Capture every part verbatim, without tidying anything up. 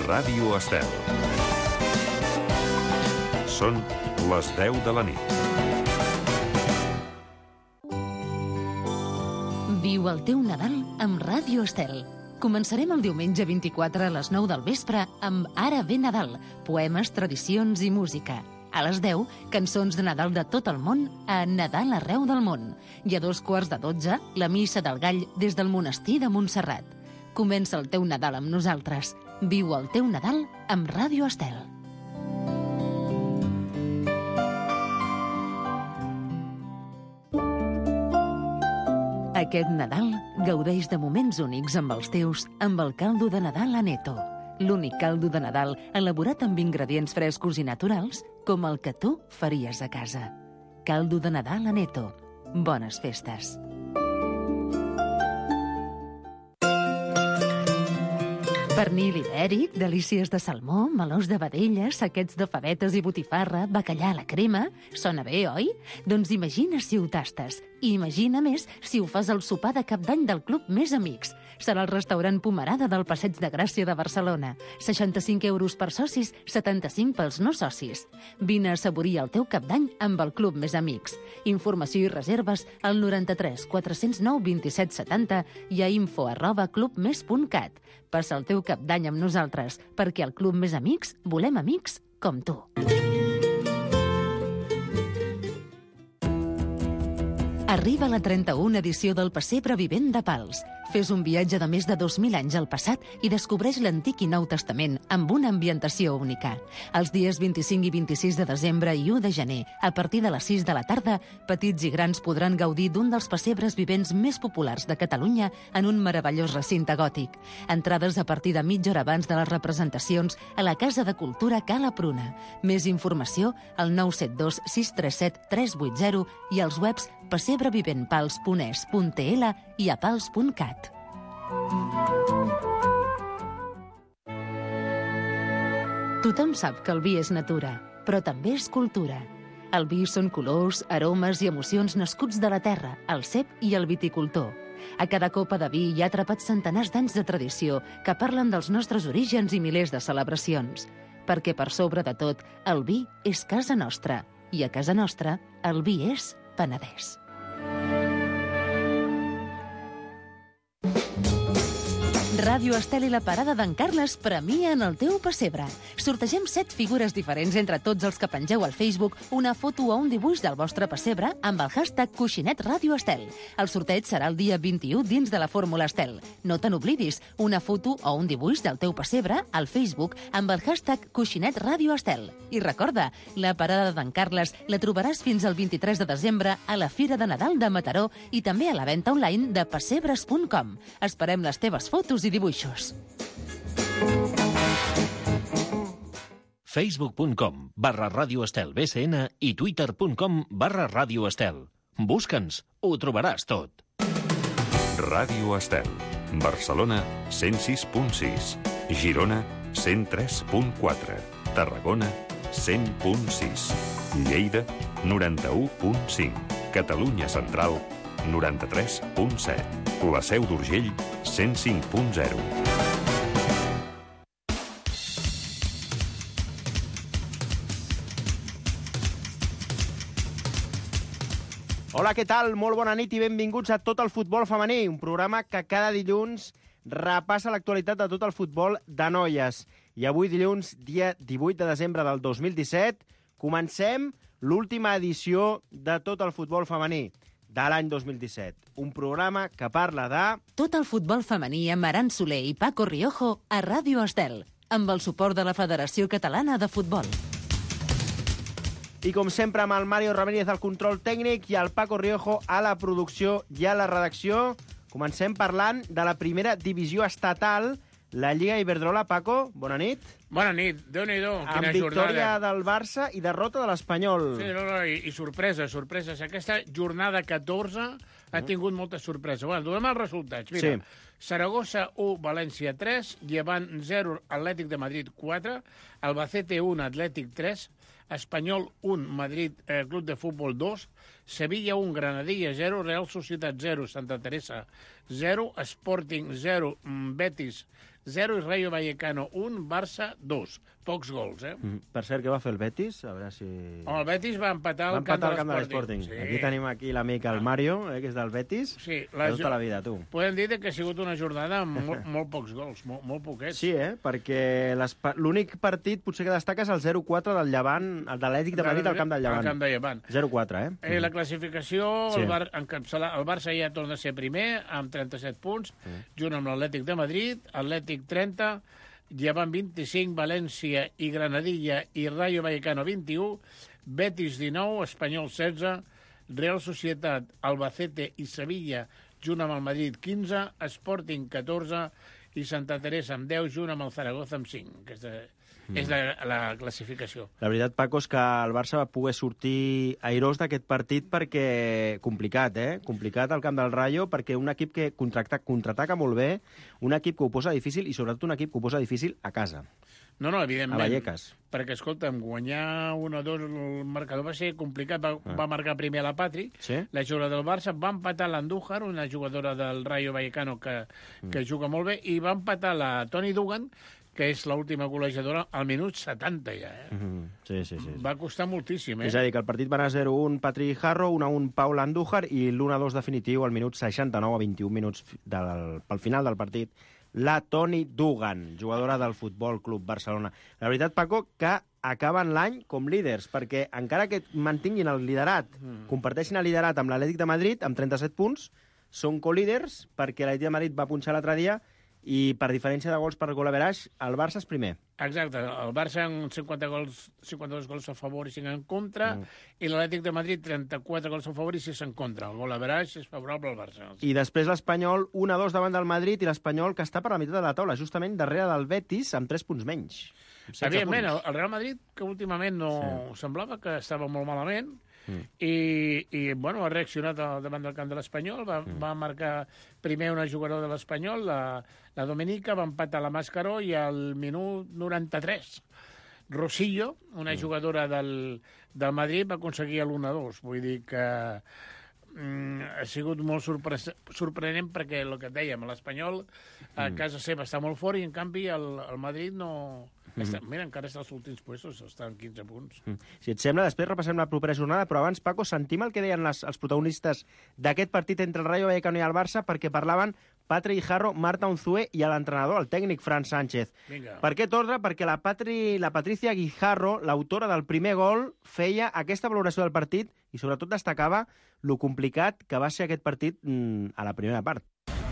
Ràdio Estel. Són les deu de la nit. Viu el teu Nadal amb Ràdio Estel. Començarem el diumenge vint-i-quatre a les nou del vespre amb Ara ve Nadal, poemes, tradicions i música. A les deu, cançons de Nadal de tot el món a Nadal arreu del món. I a dos quarts de dotze, la missa del gall des del monestir de Montserrat. Comença el teu Nadal amb nosaltres. Viu el teu Nadal amb Ràdio Estel. Aquest Nadal gaudeix de moments únics amb els teus amb el caldo de Nadal Aneto. L'únic caldo de Nadal elaborat amb ingredients frescos i naturals com el que tu faries a casa. Caldo de Nadal Aneto. Bones festes. Pernil ibèric, delícies de salmó, melós de vedella, saquets de favetes i botifarra, bacallà a la crema... Sona bé, oi? Doncs imagina si ho tastes. I imagina més si ho fas al sopar de cap d'any del Club Més Amics. Serà el restaurant Pomerada del Passeig de Gràcia de Barcelona. seixanta-cinc euros per socis, setanta-cinc pels no socis. Vine a assaborir el teu cap d'any amb el Club Més Amics. Informació i reserves al noranta-tres quatre-cents nou vint-i-set setanta i a info arroba clubmes punt cat. Passa el teu cap d'any amb nosaltres, perquè al Club Més Amics volem amics com tu. Arriba la trenta-una edició del Pessebre Vivent de Pals. Fes un viatge de més de dos mil anys al passat i descobreix l'Antic i Nou Testament amb una ambientació única. Els dies vint-i-cinc i vint-i-sis de desembre i u de gener, a partir de les sis de la tarda, petits i grans podran gaudir d'un dels pessebres vivents més populars de Catalunya en un meravellós recinte gòtic. Entrades a partir de mitja hora abans de les representacions a la Casa de Cultura Cala Pruna. Més informació al nou set dos sis tres set tres vuit zero i als webs pessebreviventpals punt es punt tl i a pals punt cat. Tothom sap que el vi és natura, però també és cultura. El vi són colors, aromes i emocions nascuts de la terra, el cep i el viticultor. A cada copa de vi hi ha atrapats centenars d'anys de tradició que parlen dels nostres orígens i milers de celebracions. Perquè per sobre de tot, el vi és casa nostra. I a casa nostra, el vi és Penedès. Ràdio Estel i la Parada d'en Carles premien el teu pessebre. Sortegem set figures diferents entre tots els que pengeu al Facebook una foto o un dibuix del vostre pessebre amb el hashtag Coixinet Ràdio Estel. El sorteig serà el dia vint-i-u dins de la Fórmula Estel. No te n'oblidis, una foto o un dibuix del teu pessebre al Facebook amb el hashtag Coixinet Ràdio Estel. I recorda, la Parada d'en Carles la trobaràs fins al vint-i-tres de desembre a la Fira de Nadal de Mataró i també a la venda online de pessebres punt com. Esperem les teves fotos i dibuixos. facebook punt com barra Ràdio Estel B C N i twitter punt com barra Ràdio Estel. Busca'ns, ho trobaràs tot. Ràdio Estel. Barcelona, cent sis punt sis. Girona, cent tres punt quatre. Tarragona, cent punt sis. Lleida, noranta-u punt cinc. Catalunya Central, noranta-tres punt set. La Seu d'Urgell, cent cinc punt zero. Hola, què tal? Molt bona nit i benvinguts a Tot el Futbol Femení, un programa que cada dilluns repassa l'actualitat de tot el futbol de noies. I avui, dilluns, dia divuit de desembre del dos mil disset, comencem l'última edició de Tot el Futbol Femení de l'any dos mil disset. Un programa que parla de... Tot el futbol femení amb Aran Soler i Paco Riojo a Ràdio Estel, amb el suport de la Federació Catalana de Futbol. I com sempre amb el Mario Ramírez al control tècnic i el Paco Riojo a la producció i a la redacció. Comencem parlant de la primera divisió estatal, la Lliga Iberdrola. Paco, bona nit. Bona nit, Déu-n'hi-do, quina amb victòria jornada. del Barça i derrota de l'Espanyol. Sí, no, no, i, i sorpreses, sorpreses. Aquesta jornada catorze ha tingut molta sorpresa. Bueno, donem els resultats. Mira, Sí. Saragossa u, València tres, Llevant zero, Atlètic de Madrid quatre, Albacete un, Atlètic tres, Espanyol un, Madrid eh, Club de Futbol dos, Sevilla un, Granadilla zero, Real Societat zero, Santa Teresa zero, Sporting zero, Betis zero i Rayo Vallecano un, Barça dos. Pocs gols, eh? Mm. Per cert, què va fer el Betis? A veure si... Oh, el Betis va empatar va al camp, empatar al camp de de l'Sporting. l'Sporting. Sí. Aquí tenim aquí l'amic, el Mario, eh, que és del Betis. Sí, la de tota la vida, tu. Podem dir que ha sigut una jornada amb molt, molt pocs gols, molt, molt poquets. Sí, eh? Perquè l'únic partit potser que destaca és el zero quatre del Llevant, el de l'Atlètic de Madrid al camp del Llevant. Al camp del Llevant. zero quatre, eh? eh la classificació, sí. el, Bar, encapçala, el Barça ja torna a ser primer, amb trenta-set punts, sí. junt amb l'Atlètic de Madrid, Atlètic trenta, Llevant vint-i-cinc, València i Granadilla i Rayo Vallecano vint-i-u, Betis dinou, Espanyol setze, Real Societat, Albacete i Sevilla, junt amb el Madrid quinze, Sporting catorze i Santa Teresa amb deu, junt amb el Zaragoza amb cinc. Aquesta mm. és la, la classificació. La veritat, Paco, és que el Barça va poder sortir airós d'aquest partit perquè... Complicat, eh? Complicat al camp del Rayo, perquè un equip que contraataca, contraataca molt bé, un equip que ho posa difícil i sobretot un equip que ho posa difícil a casa. No, no, evidentment. A Vallecas. Perquè, escolta'm, guanyar un o dos el marcador va ser complicat. Va, ah. va marcar primer la Patri, sí? la jugadora del Barça, va empatar l'Andújar, una jugadora del Rayo Vallecano que, mm. que juga molt bé, i va empatar la Toni Dugan, que és l'última golejadora, al minut setanta ja. Eh? Mm-hmm. Sí, sí, sí. Va costar moltíssim, eh? És a dir, que el partit va anar zero un Patri Jarro, un a un Paula Andújar i l'un a dos definitiu al minut seixanta-nou a vint-i-un minuts del, pel final del partit, la Toni Dugan, jugadora del Futbol Club Barcelona. La veritat, Paco, que acaben l'any com líders, perquè encara que mantinguin el liderat, mm. comparteixin el liderat amb l'Atlètic de Madrid, amb trenta-set punts, són colíders, perquè l'Atlètic de Madrid va punxar l'altre dia i per diferència de gols per gol average, el Barça és primer. Exacte, el Barça amb cinquanta gols, cinquanta-dos gols a favor i cinc en contra, mm. i l'Atlètic de Madrid trenta-quatre gols a favor i sis en contra. El gol average és favorable al Barça. I després l'Espanyol un a dos davant del Madrid i l'Espanyol que està per la meitat de la taula, justament darrere del Betis, amb tres punts menys. Evidentment, el, el Real Madrid, que últimament no sí. semblava que estava molt malament, Mm. I, i bueno, ha reaccionat davant del camp de l'Espanyol, va, mm. va marcar primer una jugadora de l'Espanyol, la, la Domenica, va empatar la Mascaró i al minut noranta-tres Rosillo, una mm. jugadora del, del Madrid, va aconseguir l'un a dos. Vull dir que mm, ha sigut molt sorpre sorprenent perquè el que et dèiem, l'Espanyol a mm. casa seva està molt fort i en canvi el, el Madrid no... Està, mira, encara està als últims puestos, està en quinze punts. Si et sembla, després repassem la propera jornada, però abans, Paco, sentim el que deien les, els protagonistes d'aquest partit entre el Rayo Vallecano i el Barça, perquè parlaven Patri Jarro, Marta Unzué i l'entrenador, el tècnic Fran Sánchez. Vinga. Per què torna? Perquè la, Patri, la Patricia Guijarro, l'autora del primer gol, feia aquesta valoració del partit i sobretot destacava lo complicat que va ser aquest partit mmm, a la primera part.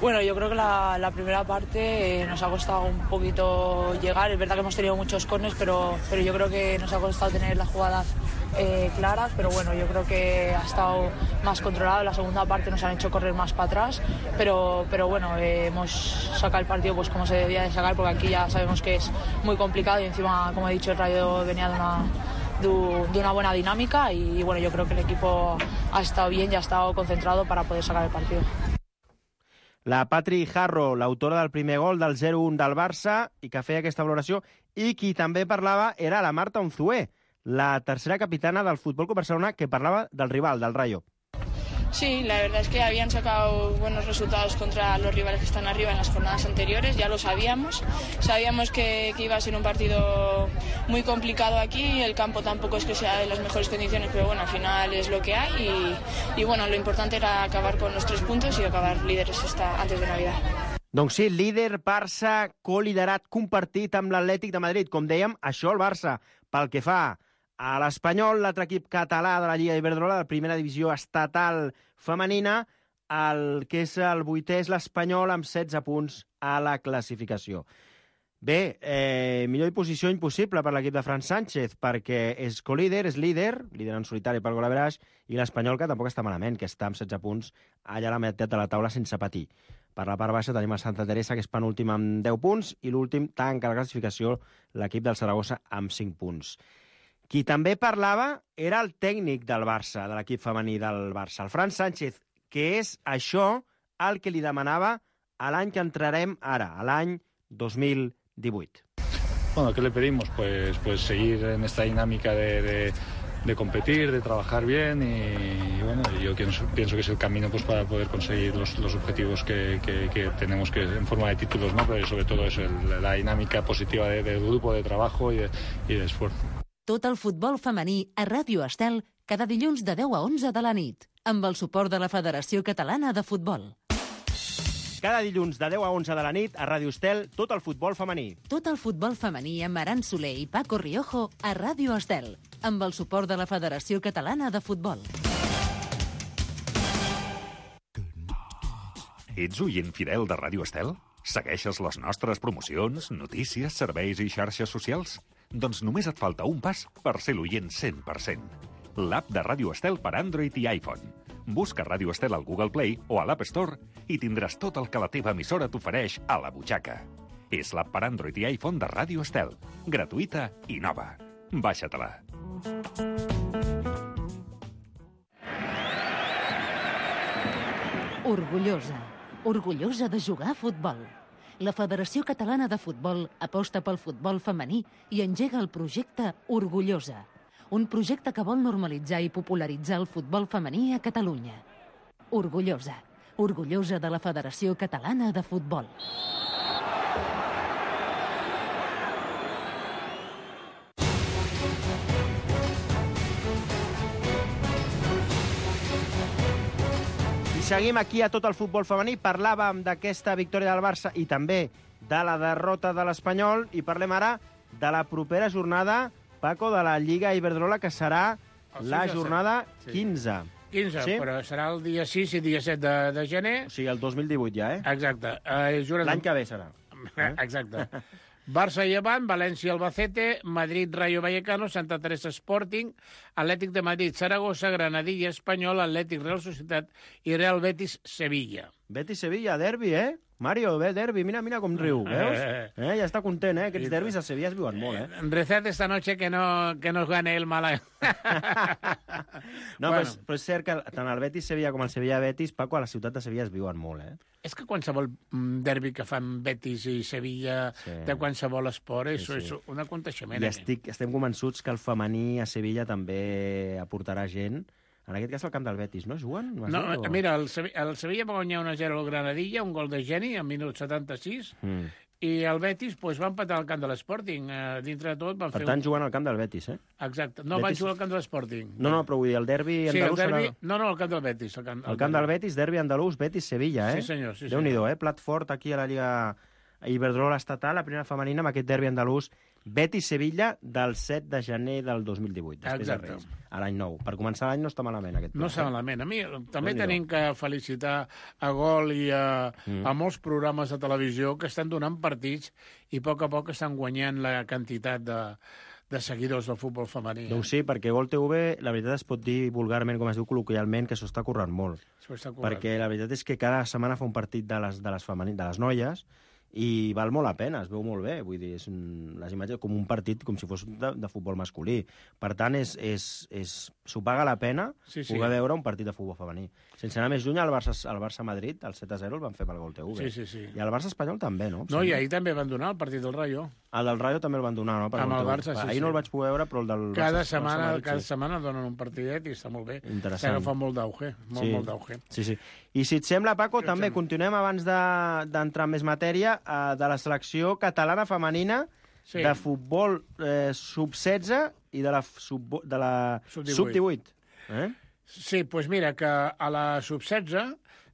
Bueno, yo creo que la, la primera parte eh, nos ha costado un poquito llegar. Es verdad que hemos tenido muchos corners, pero, pero yo creo que nos ha costado tener las jugadas eh, claras. Pero bueno, yo creo que ha estado más controlado. La segunda parte nos han hecho correr más para atrás. Pero, pero bueno, eh, hemos sacado el partido pues como se debía de sacar, porque aquí ya sabemos que es muy complicado. Y encima, como he dicho, el Rayo venía de una... de una buena dinámica y, y bueno, yo creo que el equipo ha estado bien y ha estado concentrado para poder sacar el partido. La Patri Jarro, l'autora del primer gol del zero un del Barça i que feia aquesta valoració, i qui també parlava era la Marta Unzué, la tercera capitana del Futbol Club Barcelona, que parlava del rival, del Rayo. Sí, la verdad es que habían sacado buenos resultados contra los rivales que están arriba en las jornadas anteriores, ya lo sabíamos. Sabíamos que, que iba a ser un partido muy complicado aquí, el campo tampoco es que sea de las mejores condiciones, pero bueno, al final es lo que hay y, y bueno, lo importante era acabar con los tres puntos y acabar líderes esta, antes de Navidad. Doncs sí, líder Barça, coliderat compartit amb l'Atlètic de Madrid. Com dèiem, això el Barça, pel que fa a l'Espanyol, l'altre equip català de la Lliga Iberdrola, de la primera divisió estatal femenina, el que és el vuitè és l'Espanyol amb setze punts a la classificació. Bé, eh, millor posició impossible per l'equip de Fran Sánchez, perquè és colíder, és líder, líder en solitari per gol average, i l'Espanyol, que tampoc està malament, que està amb setze punts allà a la meitat de la taula sense patir. Per la part baixa tenim el Santa Teresa, que és penúltim amb deu punts, i l'últim tanca la classificació l'equip del Saragossa amb cinc punts. Qui també parlava era el tècnic del Barça, de l'equip femení del Barça, el Fran Sánchez, que és això el que li demanava a l'any que entrarem ara, a l'any dos mil divuit. Bueno, ¿qué le pedimos? Pues, pues seguir en esta dinámica de, de, de competir, de trabajar bien y, y bueno, yo pienso, pienso que es el camino pues para poder conseguir los, los objetivos que, que, que tenemos que en forma de títulos, ¿no? Pero sobre todo eso, el, la dinámica positiva de, del grupo, de trabajo y de, y de esfuerzo. Tot el futbol femení a Ràdio Estel cada dilluns de deu a onze de la nit, amb el suport de la Federació Catalana de Futbol. Cada dilluns de deu a onze de la nit a Ràdio Estel, tot el futbol femení. Tot el futbol femení amb Aran Soler i Paco Riojo a Ràdio Estel, amb el suport de la Federació Catalana de Futbol. Ets oient fidel de Ràdio Estel? Segueixes les nostres promocions, notícies, serveis i xarxes socials? Doncs només et falta un pas per ser l'oient cent per cent. L'app de Ràdio Estel per Android i iPhone. Busca Ràdio Estel al Google Play o a l'App Store i tindràs tot el que la teva emissora t'ofereix a la butxaca. És l'app per Android i iPhone de Ràdio Estel. Gratuïta i nova. Baixa-te-la. Orgullosa. Orgullosa de jugar a futbol. La Federació Catalana de Futbol aposta pel futbol femení i engega el projecte Orgullosa, un projecte que vol normalitzar i popularitzar el futbol femení a Catalunya. Orgullosa. Orgullosa de la Federació Catalana de Futbol. I seguim aquí a tot el futbol femení. Parlàvem d'aquesta victòria del Barça i també de la derrota de l'Espanyol i parlem ara de la propera jornada, Paco, de la Lliga Iberdrola, que serà la jornada quinze. quinze, sí? Però serà el dia sis i dia set de, de gener. O sigui, el dos mil divuit ja, eh? Exacte. Eh, L'any que ve serà. Eh? Exacte. Barça i Llevant, València Albacete, Madrid Rayo Vallecano, Santa Teresa Sporting, Atlètic de Madrid Saragossa, Granadilla Espanyol, Atlètic Real Societat i Real Betis Sevilla. Betis Sevilla, derbi, eh? Mario, ve, derbi, mira, mira com riu, veus? Eh, ja està content, eh? Aquests derbis a Sevilla es viuen molt, eh? Rezad esta noche que no, que nos gane el Málaga. No, bueno. però, però és cert que tant el Betis Sevilla com el Sevilla Betis, Paco, a la ciutat de Sevilla es viuen molt, eh? És que qualsevol derbi que fan Betis i Sevilla sí. de qualsevol esport és, sí, sí. és un aconteixement. I estic, estem convençuts que el femení a Sevilla també aportarà gent. En aquest cas, el camp del Betis, no? Juguen? No, no mira, el Sevilla, el Sevilla va guanyar una a zero al Granadilla, un gol de Geni, al minut setanta-sis, mm. i el Betis pues, va empatar al camp de l'Sporting. Uh, dintre de tot van per fer... Per tant, un... juguen al camp del Betis, eh? Exacte. No, Betis... van jugar al camp de l'Sporting. No, no, però vull dir, el derbi sí, andalús... El derbi... serà... No, no, el camp del Betis. El camp, el camp del Betis, derbi andalús, Betis-Sevilla, eh? Sí, senyor. Sí, Déu-n'hi-do, eh? Plat fort aquí a la Lliga Iberdrola estatal, la primera femenina, amb aquest derbi andalús, Betis-Sevilla, del set de gener del dos mil divuit, després Exacte. de Reis, a l'any nou. Per començar l'any no està malament, aquest pla. No està malament. A mi també tenim que felicitar a Gol i a, mm. a molts programes de televisió que estan donant partits i a poc a poc estan guanyant la quantitat de, de seguidors del futbol femení. Doncs sí, perquè Gol T V, la veritat es pot dir vulgarment, com es diu col·loquialment, que s'ho està currant molt. S'ho està currant. Perquè la veritat és que cada setmana fa un partit de les, de les, femení, de les noies i val molt la pena, es veu molt bé, vull dir, és un, les imatges com un partit com si fos de, de futbol masculí. Per tant, és, és, és, s'ho paga la pena sí, sí. poder veure un partit de futbol femení. Sense anar més lluny, el Barça, el Barça Madrid, el set a zero, el van fer pel Gol T V. Sí, sí, sí. I el Barça Espanyol també, no? No, i ahir també van donar el partit del Rayo. El del Rayo també el van donar, no? Per amb el Barça, sí, ahir sí. no el vaig poder veure, però el del cada Barça, setmana, Barça Madrid, cada sí. setmana donen un partidet i està molt bé. Interessant. S'agafa molt d'auge, molt, sí. molt d'auge. Sí, sí. I si et sembla, Paco, també sembla. Continuem abans d'entrar de, en més matèria eh, de la selecció catalana femenina sí. de futbol eh, sub setze i de la sub, de la sub divuit. Eh? Sí, doncs pues mira, que a la sub setze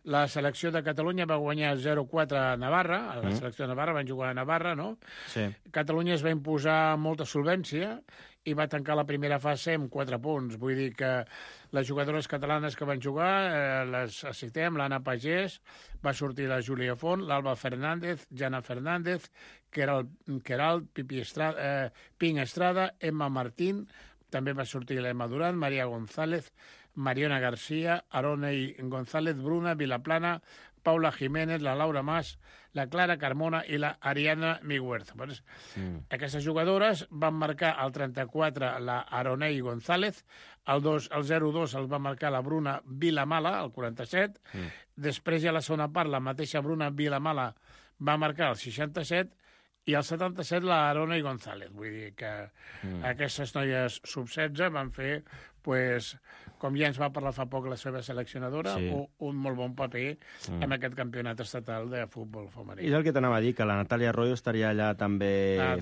la selecció de Catalunya va guanyar zero quatre a Navarra, a la mm. selecció de Navarra van jugar a Navarra, no? Sí. Catalunya es va imposar molta solvència i va tancar la primera fase amb quatre punts. Vull dir que les jugadores catalanes que van jugar, eh, les citem, l'Anna Pagès, va sortir la Júlia Font, l'Alba Fernández, Jana Fernández, Queralt, Queralt Pipi Estrada, eh, Ping Estrada, Emma Martín, també va sortir l'Emma Durán, Maria González, Mariona García, Aronei González, Bruna Vilaplana, Paula Jiménez, la Laura Mas, la Clara Carmona i la Ariana Miguerza. Pues, mm. Aquestes jugadores van marcar el trenta-quatre la Aronei González, el, dos, el zero dos el va marcar la Bruna Vilamala, el quaranta-set, mm. després ja a la segona part la mateixa Bruna Vilamala va marcar el seixanta-set i al setanta-set la Arona i González. Vull dir que mm. aquestes noies sub setze van fer, pues, com ja ens va parlar fa poc la seva seleccionadora, sí. un, un molt bon paper mm. en aquest campionat estatal de futbol femení. I és el que t'anava a dir, que la Natàlia Arroyo estaria allà també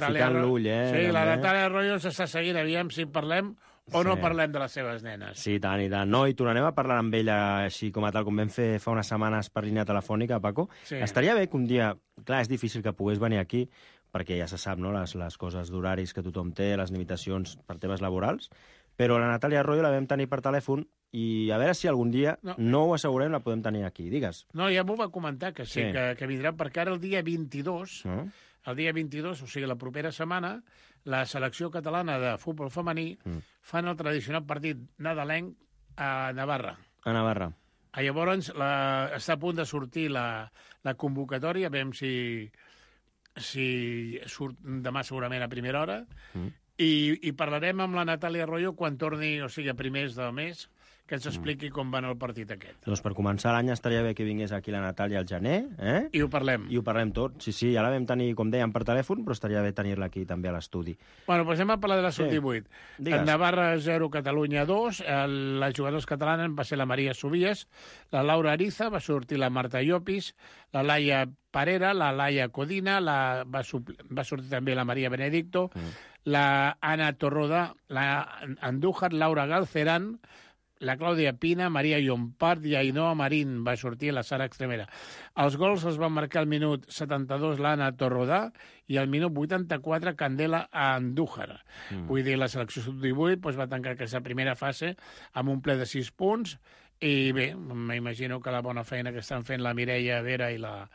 ficant l'ull, eh? Sí, també. La Natàlia Arroyo s'està seguint, aviam si parlem o sí. no parlem de les seves nenes. Sí, tant i tant. No, i tornarem a parlar amb ella així com a tal, com vam fer fa unes setmanes per línia telefònica, Paco. Sí. Estaria bé que un dia... Clar, és difícil que pogués venir aquí, perquè ja se sap, no?, les, les coses d'horaris que tothom té, les limitacions per temes laborals, però la Natàlia Arroyo la vam tenir per telèfon i a veure si algun dia, no, no ho assegurem, la podem tenir aquí. Digues. No, ja m'ho va comentar, que sí, sí. Que, que vindrà, perquè ara el dia vint-i-dos, no? el dia vint-i-dos, o sigui, la propera setmana, la selecció catalana de futbol femení mm. fan el tradicional partit nadalenc a Navarra. A Navarra. A llavors la, està a punt de sortir la, la convocatòria, veiem si, si surt demà segurament a primera hora, mm. i, i parlarem amb la Natàlia Arroyo quan torni, o sigui, a primers del mes, que ens expliqui com va anar el partit aquest. Doncs per començar l'any estaria bé que vingués aquí la Natàlia al gener, eh? I ho parlem. I ho parlem tot. Sí, sí, ja la vam tenir, com dèiem, per telèfon, però estaria bé tenir-la aquí també a l'estudi. Bueno, doncs anem a parlar de la sub divuit. Sí. En Navarra zero, Catalunya dos. El, les jugadors catalanes va ser la Maria Subies, la Laura Ariza, va sortir la Marta Llopis, la Laia Parera, la Laia Codina, la, va, va sortir també la Maria Benedicto, mm. la Ana Torroda, la Andújar, Laura Galcerán, la Clàudia Pina, Maria Llompart i Ainhoa Marín va sortir la Sara Extremera. Els gols els van marcar al minut setanta-dos l'Anna Torrodà i al minut vuitanta-quatre Candela Andújar. Mm. Vull dir, la selecció sub divuit doncs, va tancar aquesta primera fase amb un ple de sis punts i bé, m'imagino que la bona feina que estan fent la Mireia Vera i la,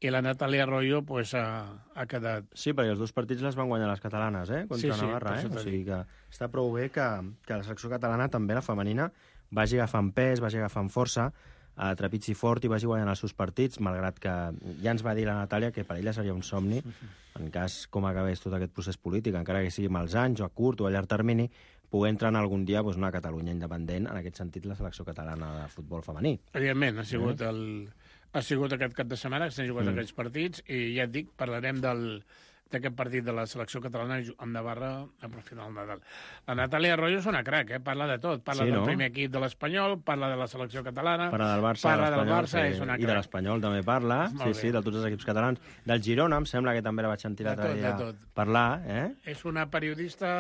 i la Natàlia Arroyo pues, ha, ha quedat... Sí, perquè els dos partits les van guanyar les catalanes, eh? Contra sí, sí, Navarra, eh? O sigui que està prou bé que, que la selecció catalana, també la femenina, vagi agafant pes, vagi agafant força, a trepitgi fort i vagi guanyant els seus partits, malgrat que ja ens va dir la Natàlia que per ella seria un somni, en cas com acabés tot aquest procés polític, encara que sigui amb els anys o a curt o a llarg termini, poder entrar en algun dia doncs, una Catalunya independent, en aquest sentit la selecció catalana de futbol femení. Evidentment, ha sigut, el, ha sigut aquest cap de setmana que s'han jugat mm. aquests partits i ja et dic, parlarem del d'aquest partit de la selecció catalana amb Navarra a final del Nadal. La Natàlia Arroyo és una crac, eh? Parla de tot. Parla sí, del no? primer equip de l'Espanyol, parla de la selecció catalana, parla del Barça, parla del Barça sí, és una crac. I de l'Espanyol també parla, sí, sí, de tots els equips catalans. Del Girona, em sembla que també la vaig sentir l'altre dia parlar. Eh? És una periodista,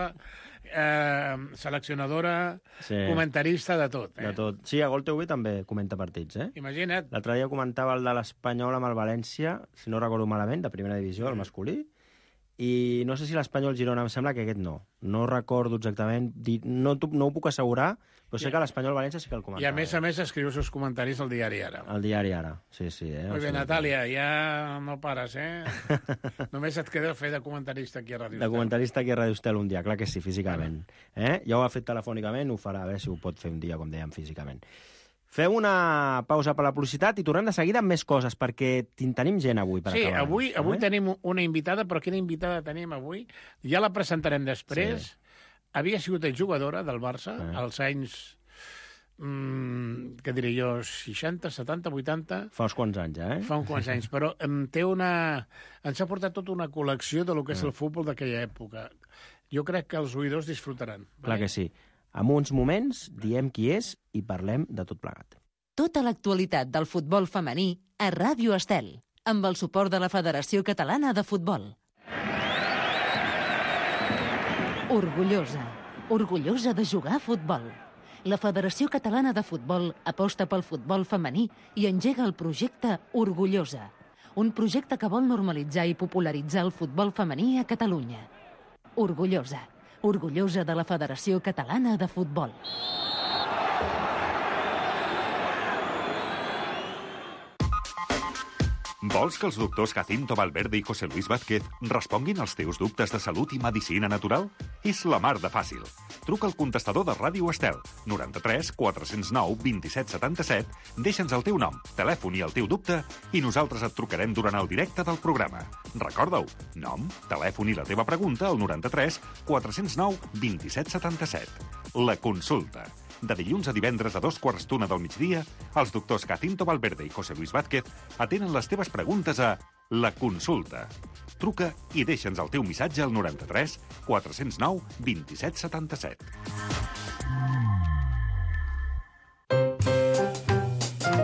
eh, seleccionadora, sí. comentarista, de tot. Eh? De tot. Sí, a Gol T V també comenta partits. Eh? Imagina't. L'altre dia comentava el de l'Espanyol amb el València, si no recordo malament, de primera divisió, el masculí, i no sé si l'Espanyol Girona, em sembla que aquest no. No recordo exactament, no, no ho puc assegurar, però sé que l'Espanyol València sí que el comentava. I a més a més escriu els seus comentaris al diari Ara. Al diari Ara, sí, sí. Eh? Molt bé, Natàlia, ja no pares, eh? Només et queda fer de comentarista aquí a Ràdio Estel. De comentarista aquí a Ràdio Estel un dia, clar que sí, físicament. Eh? Ja ho ha fet telefònicament, ho farà, a veure si ho pot fer un dia, com dèiem, físicament. Fem una pausa per la publicitat i tornem de seguida amb més coses, perquè tenim gent avui per sí, acabar. Sí, avui, avui tenim una invitada, però quina invitada tenim avui? Ja la presentarem després. Sí. Havia sigut jugadora del Barça eh. als anys, mm, què diré jo, seixanta, setanta, vuitanta... Fa uns quants anys, eh? Fa uns quants anys, però em té una... ens ha portat tota una col·lecció de lo que és eh. el futbol d'aquella època. Jo crec que els oïdors disfrutaran. Clar que sí. En uns moments diem qui és i parlem de tot plegat. Tota l'actualitat del futbol femení a Ràdio Estel, amb el suport de la Federació Catalana de Futbol. Orgullosa, orgullosa de jugar a futbol. La Federació Catalana de Futbol aposta pel futbol femení i engega el projecte Orgullosa, un projecte que vol normalitzar i popularitzar el futbol femení a Catalunya. Orgullosa. Orgullosa de la Federació Catalana de Futbol. Vols que els doctors Jacinto Valverde i José Luis Vázquez responguin als teus dubtes de salut i medicina natural? És la mar de fàcil. Truca al contestador de Ràdio Estel, noranta-tres quatre zero nou dos set set set, deixa'ns el teu nom, telèfon i el teu dubte i nosaltres et trucarem durant el directe del programa. Recorda-ho, nom, telèfon i la teva pregunta al noranta-tres quatre zero nou dos set set set. La consulta. De dilluns a divendres a dos quarts d'una del migdia, els doctors Jacinto Valverde i José Luis Vázquez atenen les teves preguntes a La Consulta. Truca i deixa'ns el teu missatge al noranta-tres quatre-cents nou vint-i-set setanta-set.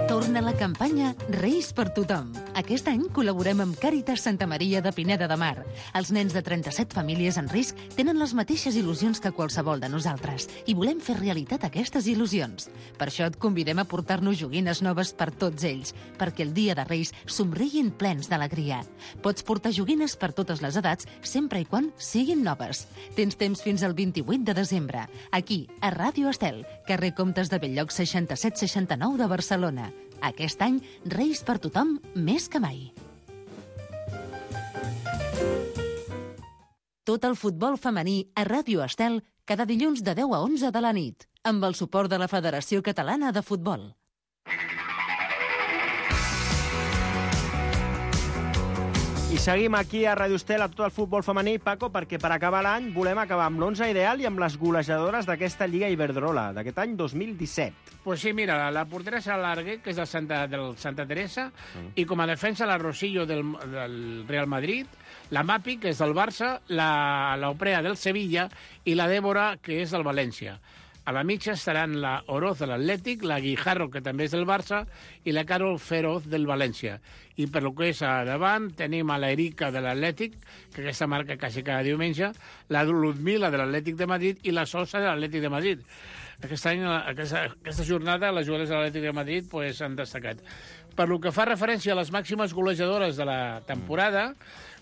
Torna la campanya Reis per tothom. Aquest any col·laborem amb Càritas Santa Maria de Pineda de Mar. Els nens de trenta-set famílies en risc tenen les mateixes il·lusions que qualsevol de nosaltres i volem fer realitat aquestes il·lusions. Per això et convidem a portar-nos joguines noves per tots ells, perquè el dia de Reis somriguin plens d'alegria. Pots portar joguines per totes les edats, sempre i quan siguin noves. Tens temps fins al vint-i-vuit de desembre, aquí, a Ràdio Estel, carrer Comtes de Belllloc seixanta-set seixanta-nou de Barcelona. Aquest any, Reis per tothom més que mai. Tot el futbol femení a Ràdio Estel cada dilluns de deu a onze de la nit, amb el suport de la Federació Catalana de Futbol. I seguim aquí a Ràdio Estel a tot el futbol femení, Paco, perquè per acabar l'any volem acabar amb l'onze ideal i amb les golejadores d'aquesta Lliga Iberdrola, d'aquest any dos mil disset. Pues sí, mira, la, la portera és l'Arguer, que és del Santa, del Santa Teresa, mm. i com a defensa la Rosillo del, del Real Madrid, la Mapi, que és del Barça, la, la Oprea del Sevilla i la Débora, que és del València. A la mitja estaran la Oroz de l'Atlètic, la Guijarro, que també és del Barça, i la Carol Feroz del València. I per lo que és a davant, tenim a la Erika de l'Atlètic, que aquesta marca quasi cada diumenge, la Ludmila de l'Atlètic de Madrid i la Sosa de l'Atlètic de Madrid. Aquest any, aquesta, aquesta jornada, les jugadores de l'Atlètic de Madrid pues, han destacat. Per lo que fa referència a les màximes golejadores de la temporada,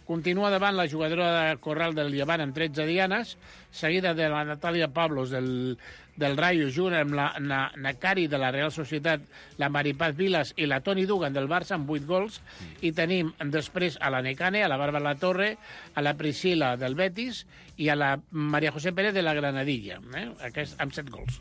continua davant la jugadora de Corral del Llevant amb tretze dianes, seguida de la Natàlia Pablos del, del Rayo, junt amb la na, Nakari de la Real Societat, la Maripaz Vilas i la Toni Dugan del Barça amb vuit gols, i tenim després a la Necane, a la Bàrbara Torre, a la Priscila del Betis i a la Maria José Pérez de la Granadilla, eh? Aquest, amb set gols.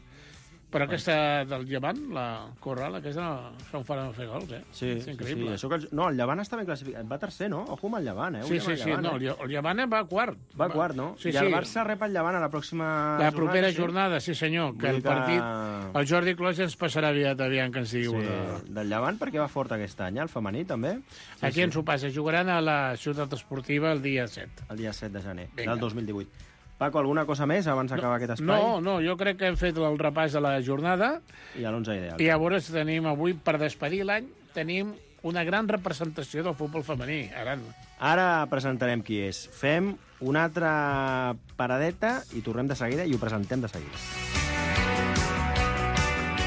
Però aquesta del Llevant, la Corral, aquesta són fora de fer gols, eh? Sí, és increïble. sí, sí. Això que el, no, el Llevant està ben classificat. Va tercer, no? Ojo amb el Llevant, eh? Sí, sí, sí. Llevant, No, eh? el Llevant va quart. Va quart, no? Sí, I sí. el Barça rep el Llevant a la pròxima La jornada, propera sí? jornada, sí senyor, que Vull el que- partit... El Jordi Clos ens passarà aviat, aviam que ens digui Sí, una... del Llevant perquè va fort aquest any, eh? El femení també. Sí, Aquí ens ho passa. Jugaran a la Ciutat Esportiva el dia set. El dia set de gener Vinga. del dos mil divuit. Paco, alguna cosa més abans d'acabar aquest espai? No, no, jo crec que hem fet el repàs de la jornada I a l'onze ideal. i llavors tenim avui, per despedir l'any, tenim una gran representació del futbol femení. Ara, Ara presentarem qui és. Fem una altra paradeta i tornem de seguida i ho presentem de seguida.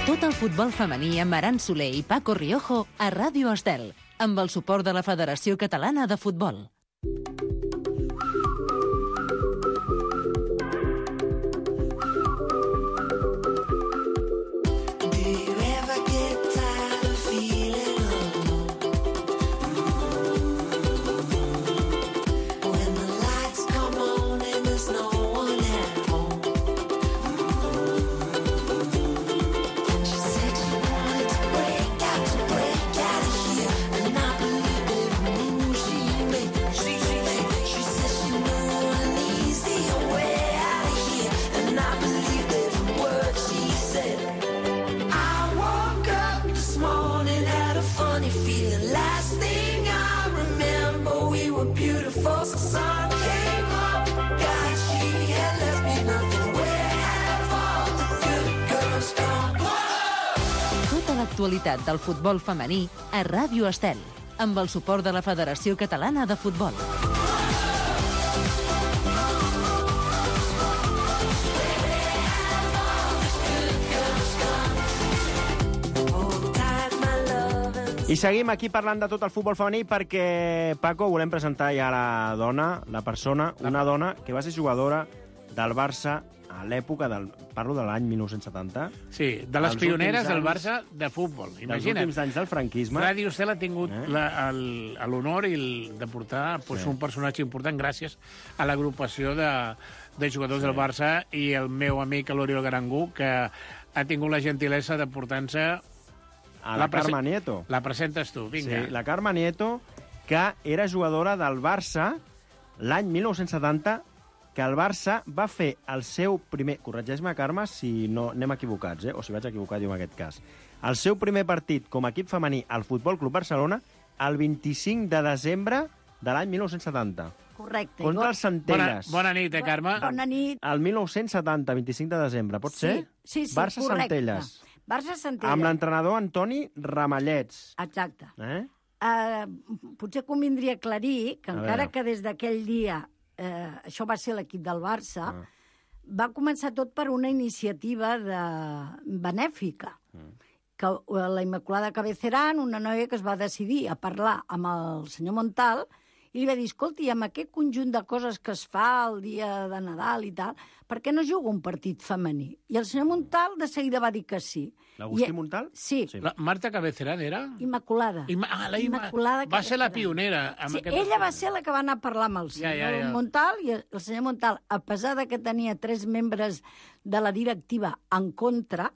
Tot el futbol femení amb Aran Soler i Paco Riojo a Ràdio Estel, amb el suport de la Federació Catalana de Futbol. L'actualitat del futbol femení a Ràdio Estel, amb el suport de la Federació Catalana de Futbol. I seguim aquí parlant de tot el futbol femení perquè, Paco, volem presentar ja la dona, la persona, una dona que va ser jugadora del Barça a l'època del... Parlo de l'any dinou setanta. sí, de les Els pioneres últims del anys- Barça de futbol. Dels Imagina't. últims anys del franquisme. Ràdio Estel ha tingut Eh? la- el- l'honor i el, de portar pues, Sí. un personatge important gràcies a l'agrupació de, de jugadors del Barça i el meu amic l'Oriol Garangú, que ha tingut la gentilesa de portar-nos... A la, La prese- Carme Nieto. La presentes tu, vinga. Sí, la Carme Nieto, que era jugadora del Barça l'any dinou setanta, que el Barça va fer el seu primer... Corregeix-me, Carme, si no anem equivocats, eh? o si vaig equivocar jo en aquest cas. El seu primer partit com a equip femení al Futbol Club Barcelona el vint-i-cinc de desembre de l'any mil nou-cents setanta. Correcte. Contra els Centelles. Bona, bona nit, eh, Carme? Bona nit. El mil nou-cents setanta, vint-i-cinc de desembre, pot Sí, ser? sí, sí, Barça correcte. Centelles. Barça Centelles. Amb l'entrenador Antoni Ramallets. Exacte. Eh? Uh, potser convindria aclarir que A encara veure. que des d'aquell dia eh, això va ser l'equip del Barça, Ah. va començar tot per una iniciativa de... benèfica. Mm. Que eh, la Immaculada Cabeceran, una noia que es va decidir a parlar amb el senyor Montal, i li va dir, escolti, amb aquest conjunt de coses que es fa el dia de Nadal i tal, per què no juga un partit femení? I el senyor Montal de seguida va dir que sí. L'Agustí I- Montal? Sí, Sí. La Marta Cabeceran era? Immaculada. Ima... Ah, la Ima... Immaculada Va ser la Cabeceran. pionera. Amb Sí, aquest... ella va ser la que va anar a parlar amb el senyor Ja, ja, ja. Montal, i el senyor Montal, a pesar de que tenia tres membres de la directiva en contra,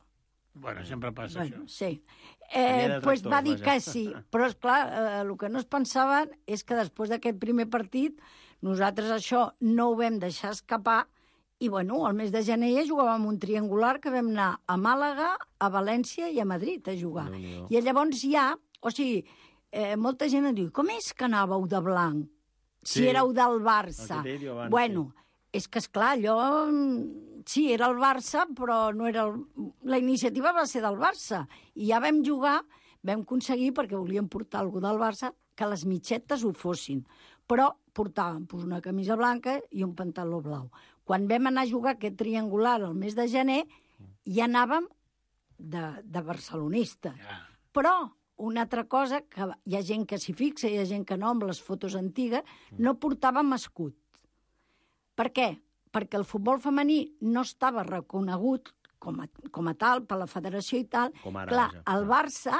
Bueno, sempre passa bueno, això. sí, Tenia eh, detractors, pues va dir vaja. que sí. Però, esclar, eh, el que no es pensaven és que després d'aquest primer partit nosaltres això no ho vam deixar escapar i, bueno, al mes de gener ja jugàvem un triangular que vam anar a Màlaga, a València i a Madrid a jugar. Déu-n'hi-do. I llavors ja, o sigui, eh, molta gent em diu, com és que anàveu de blanc? Si Sí. éreu del Barça. El que t'he dit jo abans, Bueno, és que, esclar, allò... mm, Sí, era el Barça, però no era... El... La iniciativa va ser del Barça. I ja vam jugar, vam aconseguir, perquè volíem portar algú del Barça, que les mitxetes ho fossin. Però portàvem pues, una camisa blanca i un pantaló blau. Quan vam anar a jugar aquest triangular el mes de gener, ja anàvem de, de barcelonista. Ja. Però una altra cosa, que hi ha gent que s'hi fixa, hi ha gent que no, amb les fotos antigues, no portàvem escut. Per què? Perquè el futbol femení no estava reconegut com a, com a tal per la federació i tal. Com ara, clar, vaja. el Barça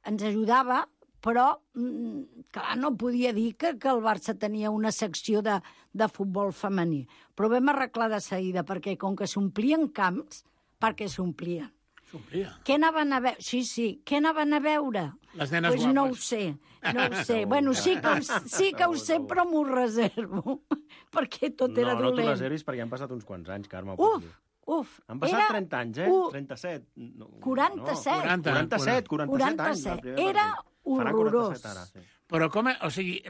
ens ajudava, però mm, clar, no podia dir que, que el Barça tenia una secció de, de futbol femení. Però vam arreglar de seguida, perquè com que s'omplien camps, perquè s'omplien. S'omplia. Què anaven a veure? Sí, sí, què anaven a veure? Les nenes pues no ho guapes. sé, no ho sé. Bueno, sí que ho, sí que ho sé, però m'ho reservo, perquè tot era no, no t'ho dolent. reservis perquè han passat uns quants anys, Carme. ho Uf, pots dir. uf. Han passat era trenta anys, eh? u- trenta-set. No, quaranta-set. No, quaranta-set, quaranta-set anys. del primer Era partit. Farà horrorós. quaranta-set ara, sí. Però com... O sigui,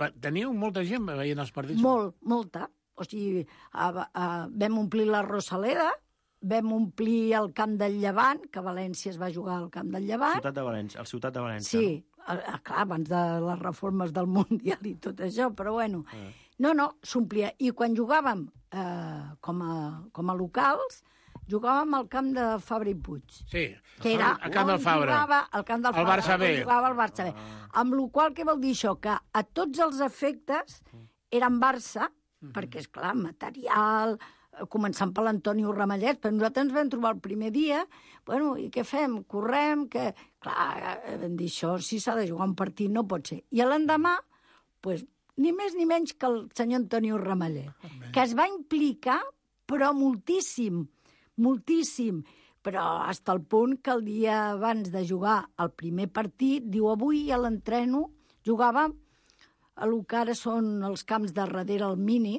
va- teniu molta gent veient els partits? Molt, molta. O sigui, a, a, vam omplir la Rosaleda, vam omplir el Camp del Llevant, que a València es va jugar al Camp del Llevant. Ciutat de València, el Ciutat de València. Sí, a, a, clar, abans de les reformes del Mundial i tot això, però bueno. No, no, s'omplia. I quan jugàvem eh, com, a, com a locals, jugàvem al camp de Fabra i Puig. Sí, Que era al camp del on Fabra. Jugava, al camp del El Fabra, Barça on B. jugava el Barça B. Amb la qual què vol dir això? Que a tots els efectes eren Barça, perquè, és clar, material, eh, començant per l'Antonio Ramallet, però nosaltres ens vam trobar el primer dia, bueno, i què fem? Correm, que... Clar, eh, vam dir això, si s'ha de jugar un partit no pot ser. I l'endemà, pues, ni més ni menys que el senyor Antonio Ramallet, que es va implicar, però moltíssim, moltíssim, però fins al punt que el dia abans de jugar el primer partit, diu, avui a l'entreno jugàvem a lo que ara són els camps de darrere al Mini,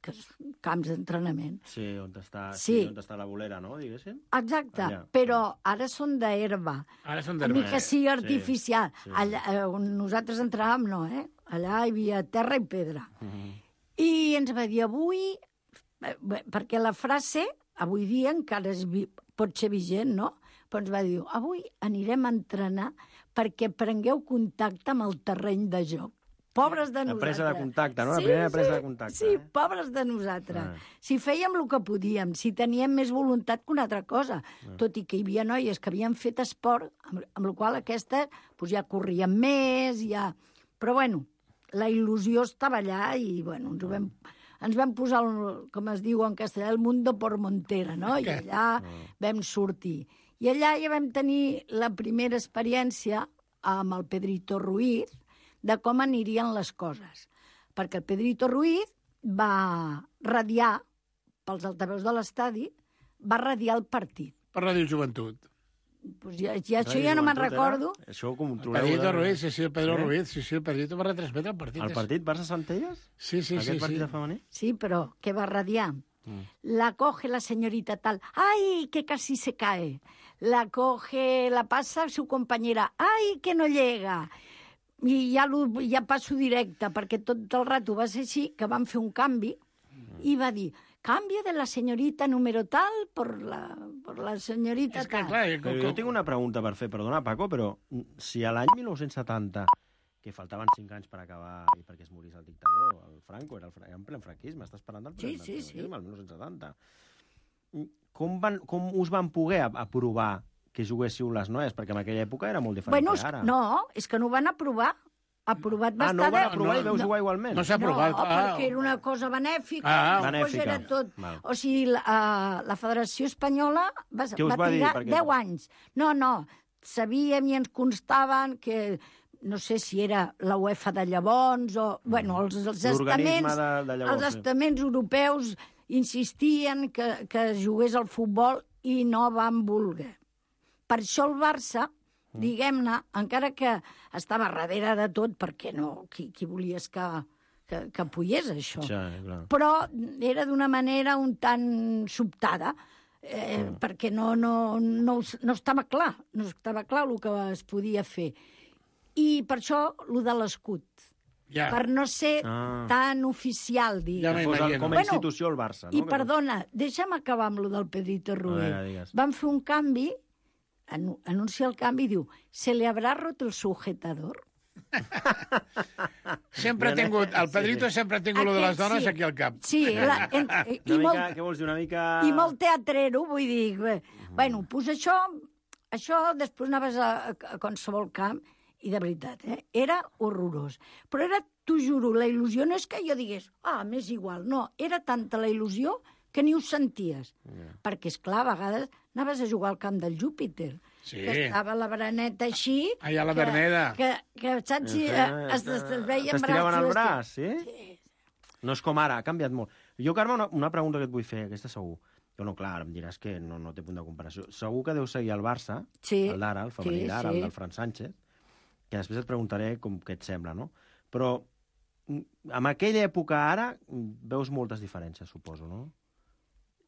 que és camps d'entrenament. Sí, on està, Sí. sí. on està la bolera, no?, diguéssim. Exacte, Allà. però ara són d'herba. Ara són Ni d'herba. que sigui artificial. sí. Allà, eh, on nosaltres entràvem, no, eh? Allà hi havia terra i pedra. I ens va dir avui, eh, bé, perquè la frase, avui dia encara és, vi- pot ser vigent, no? Però ens va dir, avui anirem a entrenar perquè prengueu contacte amb el terreny de joc. Pobres de La nosaltres. presa de contacte, no? La primera presa de contacte, Sí, eh? pobres de nosaltres. Ah. Si fèiem el que podíem, si teníem més voluntat que una altra cosa, Ah. tot i que hi havia noies que havien fet esport, amb, amb la qual aquestes pues, ja corrien més, ja... Però, bueno, la il·lusió estava allà i, bueno, ens, ho vam, ens vam posar, el, com es diu en castellà, el mundo por montera, no? I allà vam sortir. I allà ja vam tenir la primera experiència amb el Pedrito Ruiz, de com anirien les coses. Perquè el Pedrito Ruiz va radiar, pels altaveus de l'estadi, va radiar el partit. Per Ràdio Joventut. Pues ja, ja, això ja no me'n recordo. Era? Això ho El controleu. Pedrito de- Ruiz, sí, sí, el Pedro Eh? Ruiz, sí, sí, el Pedrito va retransmetre el partit. El partit Barça-Centelles? Sí, sí, Aquest sí. partit sí. de femení? Sí, però què va radiar? La coge la señorita tal, ¡ay, que casi se cae! La coge, la pasa su compañera, ¡ay, que no llega! I ja, ja passo directe, perquè tot el rato va ser així, que van fer un canvi, i va dir, cambio de la senyorita número tal por la, por la senyorita És que, tal. clar, Però jo tinc una pregunta per fer, perdona, Paco, però si a l'any mil nou-cents setanta, que faltaven cinc anys per acabar i perquè es morís el dictador, el Franco, era, el, era en plen franquisme, estàs parlant del Sí, plen sí, sí. franquisme, el mil nou-cents setanta. Com, van, com us van poder aprovar que juguéssiu les noies? Perquè en aquella època era molt diferent Bueno, que ara. no, és que no ho van aprovar. Aprovat va Ah, no ho estar... van de- aprovar i no, veu no. jugar igualment? No s'ha aprovat. No, Ah. perquè era una cosa benèfica, Ah, després benèfica. era tot... Val. O sigui, la, uh, la Federació Espanyola va, Què us va va dir? trigar Perquè- deu anys. No, no, sabíem i ens constaven que no sé si era la UEFA de llavors o... Bueno, els, els L'organisme estaments, de- de llavors, els sí. estaments europeus insistien que, que jugués al futbol i no van voler. Per això el Barça, diguem-ne, encara que estava darrere de tot, perquè no, qui, qui volies que, que, que apoyés això? Sí, clar. Però era d'una manera un tant sobtada, eh, mm. perquè no, no, no, no estava clar, no estava clar el que es podia fer. I per això, el de l'escut. Ja. Per no ser Ah. tan oficial, Ja diguem. m'he- Fos el, Imagino. com a Bueno, institució el Barça, no? I perdona, deixa'm acabar amb lo del Pedrito Rué. veure, digues. Van fer un canvi, anu anuncia el canvi, diu, ¿se le habrá roto el sujetador? Sempre ha tingut, el Pedrito sempre ha tingut lo de les Aquest dones sí. aquí al cap. Sí, la, en, i, Una mica, molt, què vols dir, una mica... i molt teatrero, vull dir. Bé, bueno, pues això, això després anaves a, a qualsevol camp i de veritat, eh, era horrorós. Però era, t'ho juro, la il·lusió no és que jo digués, ah, m'és igual, no, era tanta la il·lusió que ni ho senties. Yeah. Perquè, esclar, a vegades anaves a jugar al camp del Júpiter, Sí. que estava la bereneta així... Allà a la que- Verneda. Que, que, saps, si, eh, es, es, es veien T'estiraven el braços... braç, sí? No és com ara, ha canviat molt. Jo, Carme, una, una pregunta que et vull fer, aquesta segur. Jo no, clar, em diràs que no, no té punt de comparació. Segur que deu seguir el Barça, Sí, el d'ara, el femení sí, d'ara, sí. el del Fran Sánchez, que després et preguntaré com què et sembla, no? Però mm, en aquella època ara mm, veus moltes diferències, suposo, no?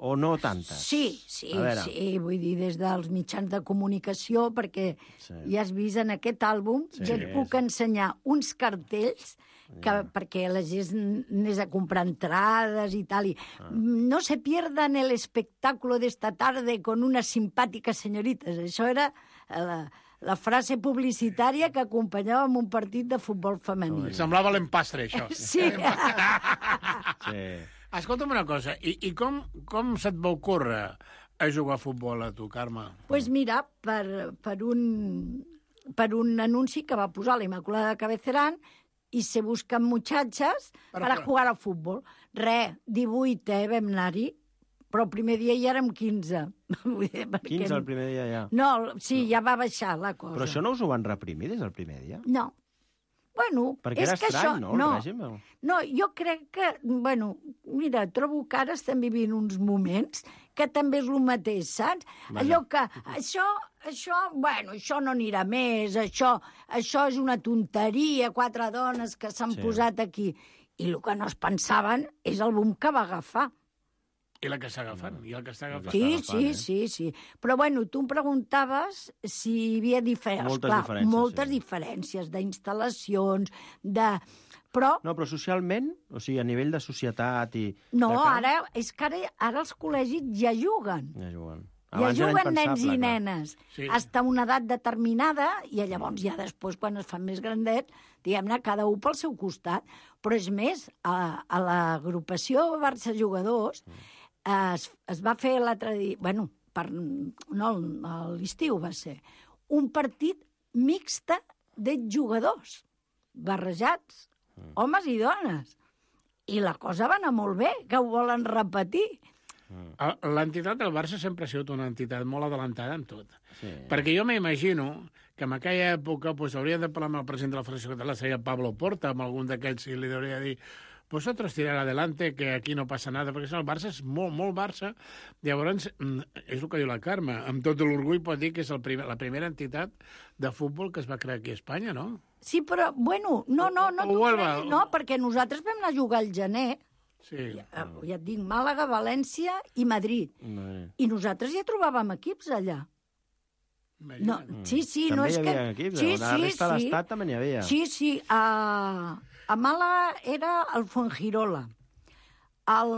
O no tantes? Sí, sí, A veure. sí, vull dir, des dels mitjans de comunicació, perquè Sí. ja has vist en aquest àlbum, Sí, ja et puc sí. ensenyar uns cartells que, perquè la gent anés a comprar entrades i tal, i Ah. no se pierdan el espectáculo de esta tarde con unas simpàtiques senyorites. Això era la, la frase publicitària que acompanyava amb un partit de futbol femení. Semblava l'empastre, això. Sí. Sí. Escolta'm una cosa, i, i com, com se't va ocórrer a jugar a futbol a tu, Carme? Pues mira, per, per, un, per un anunci que va posar la Immaculada de Cabecerán i se busquen muchachas Però, per a però- jugar al futbol. Re, divuit, eh, vam anar-hi, però el primer dia ja érem quinze. Vull dir, perquè quinze el primer dia ja. No, sí, ja va baixar la cosa. Però això no us ho van reprimir des del primer dia? No. Bueno, Perquè és era que estrany, això... no, el no, règim? o? no, jo crec que, bueno, mira, trobo que ara estem vivint uns moments que també és el mateix, saps? Vaja. Allò que, això, això, bueno, això no anirà més, això, això és una tonteria, quatre dones que s'han Sí. posat aquí. I el que no es pensaven és el boom que va agafar. I la que està agafant, i el que està agafant. Sí, agafant, sí, eh? sí, sí. Però, bueno, tu em preguntaves si hi havia diferències. Moltes Clar, diferències, moltes sí. diferències d'instal·lacions, de... Però, No, però socialment, o sigui, a nivell de societat i... no, de camp, ara, és que ara, ara els col·legis ja juguen. Ja juguen. Ja Abans era juguen nens impensable, i clar. nenes. Sí. Hasta una edat determinada, i llavors ja després, quan es fan més grandets, diguem-ne, cada un pel seu costat. Però és més, a, a l'agrupació Barça Jugadors es, es va fer l'altre dia... Bueno, per, no, a l'estiu va ser. Un partit mixta d'exjugadors, barrejats, homes i dones. I la cosa va anar molt bé, que ho volen repetir. L'entitat del Barça sempre ha sigut una entitat molt adelantada en tot. Sí. Perquè jo m'imagino que en aquella època pues, hauria de parlar amb el president de la Federació Catalana, seria Pablo Porta, amb algun d'aquells, i li hauria de dir vosotros tirar adelante, que aquí no passa nada, perquè el Barça és molt, molt Barça. Llavors, és el que diu la Carme, amb tot l'orgull pot dir que és el primer, la primera entitat de futbol que es va crear aquí a Espanya, no? Sí, però, bueno, no, no, no, O- t'ho o Huelva, creguis, o- no, perquè nosaltres vam anar a jugar al gener, Sí. ja, ja et dic, Màlaga, València i Madrid. No, I nosaltres ja trobàvem equips allà. No, sí, sí, també no és hi que... havia equips, sí, a la sí, resta de sí. l'estat també n'hi havia. Sí, sí, a, a Màlaga era el Fuengirola. El,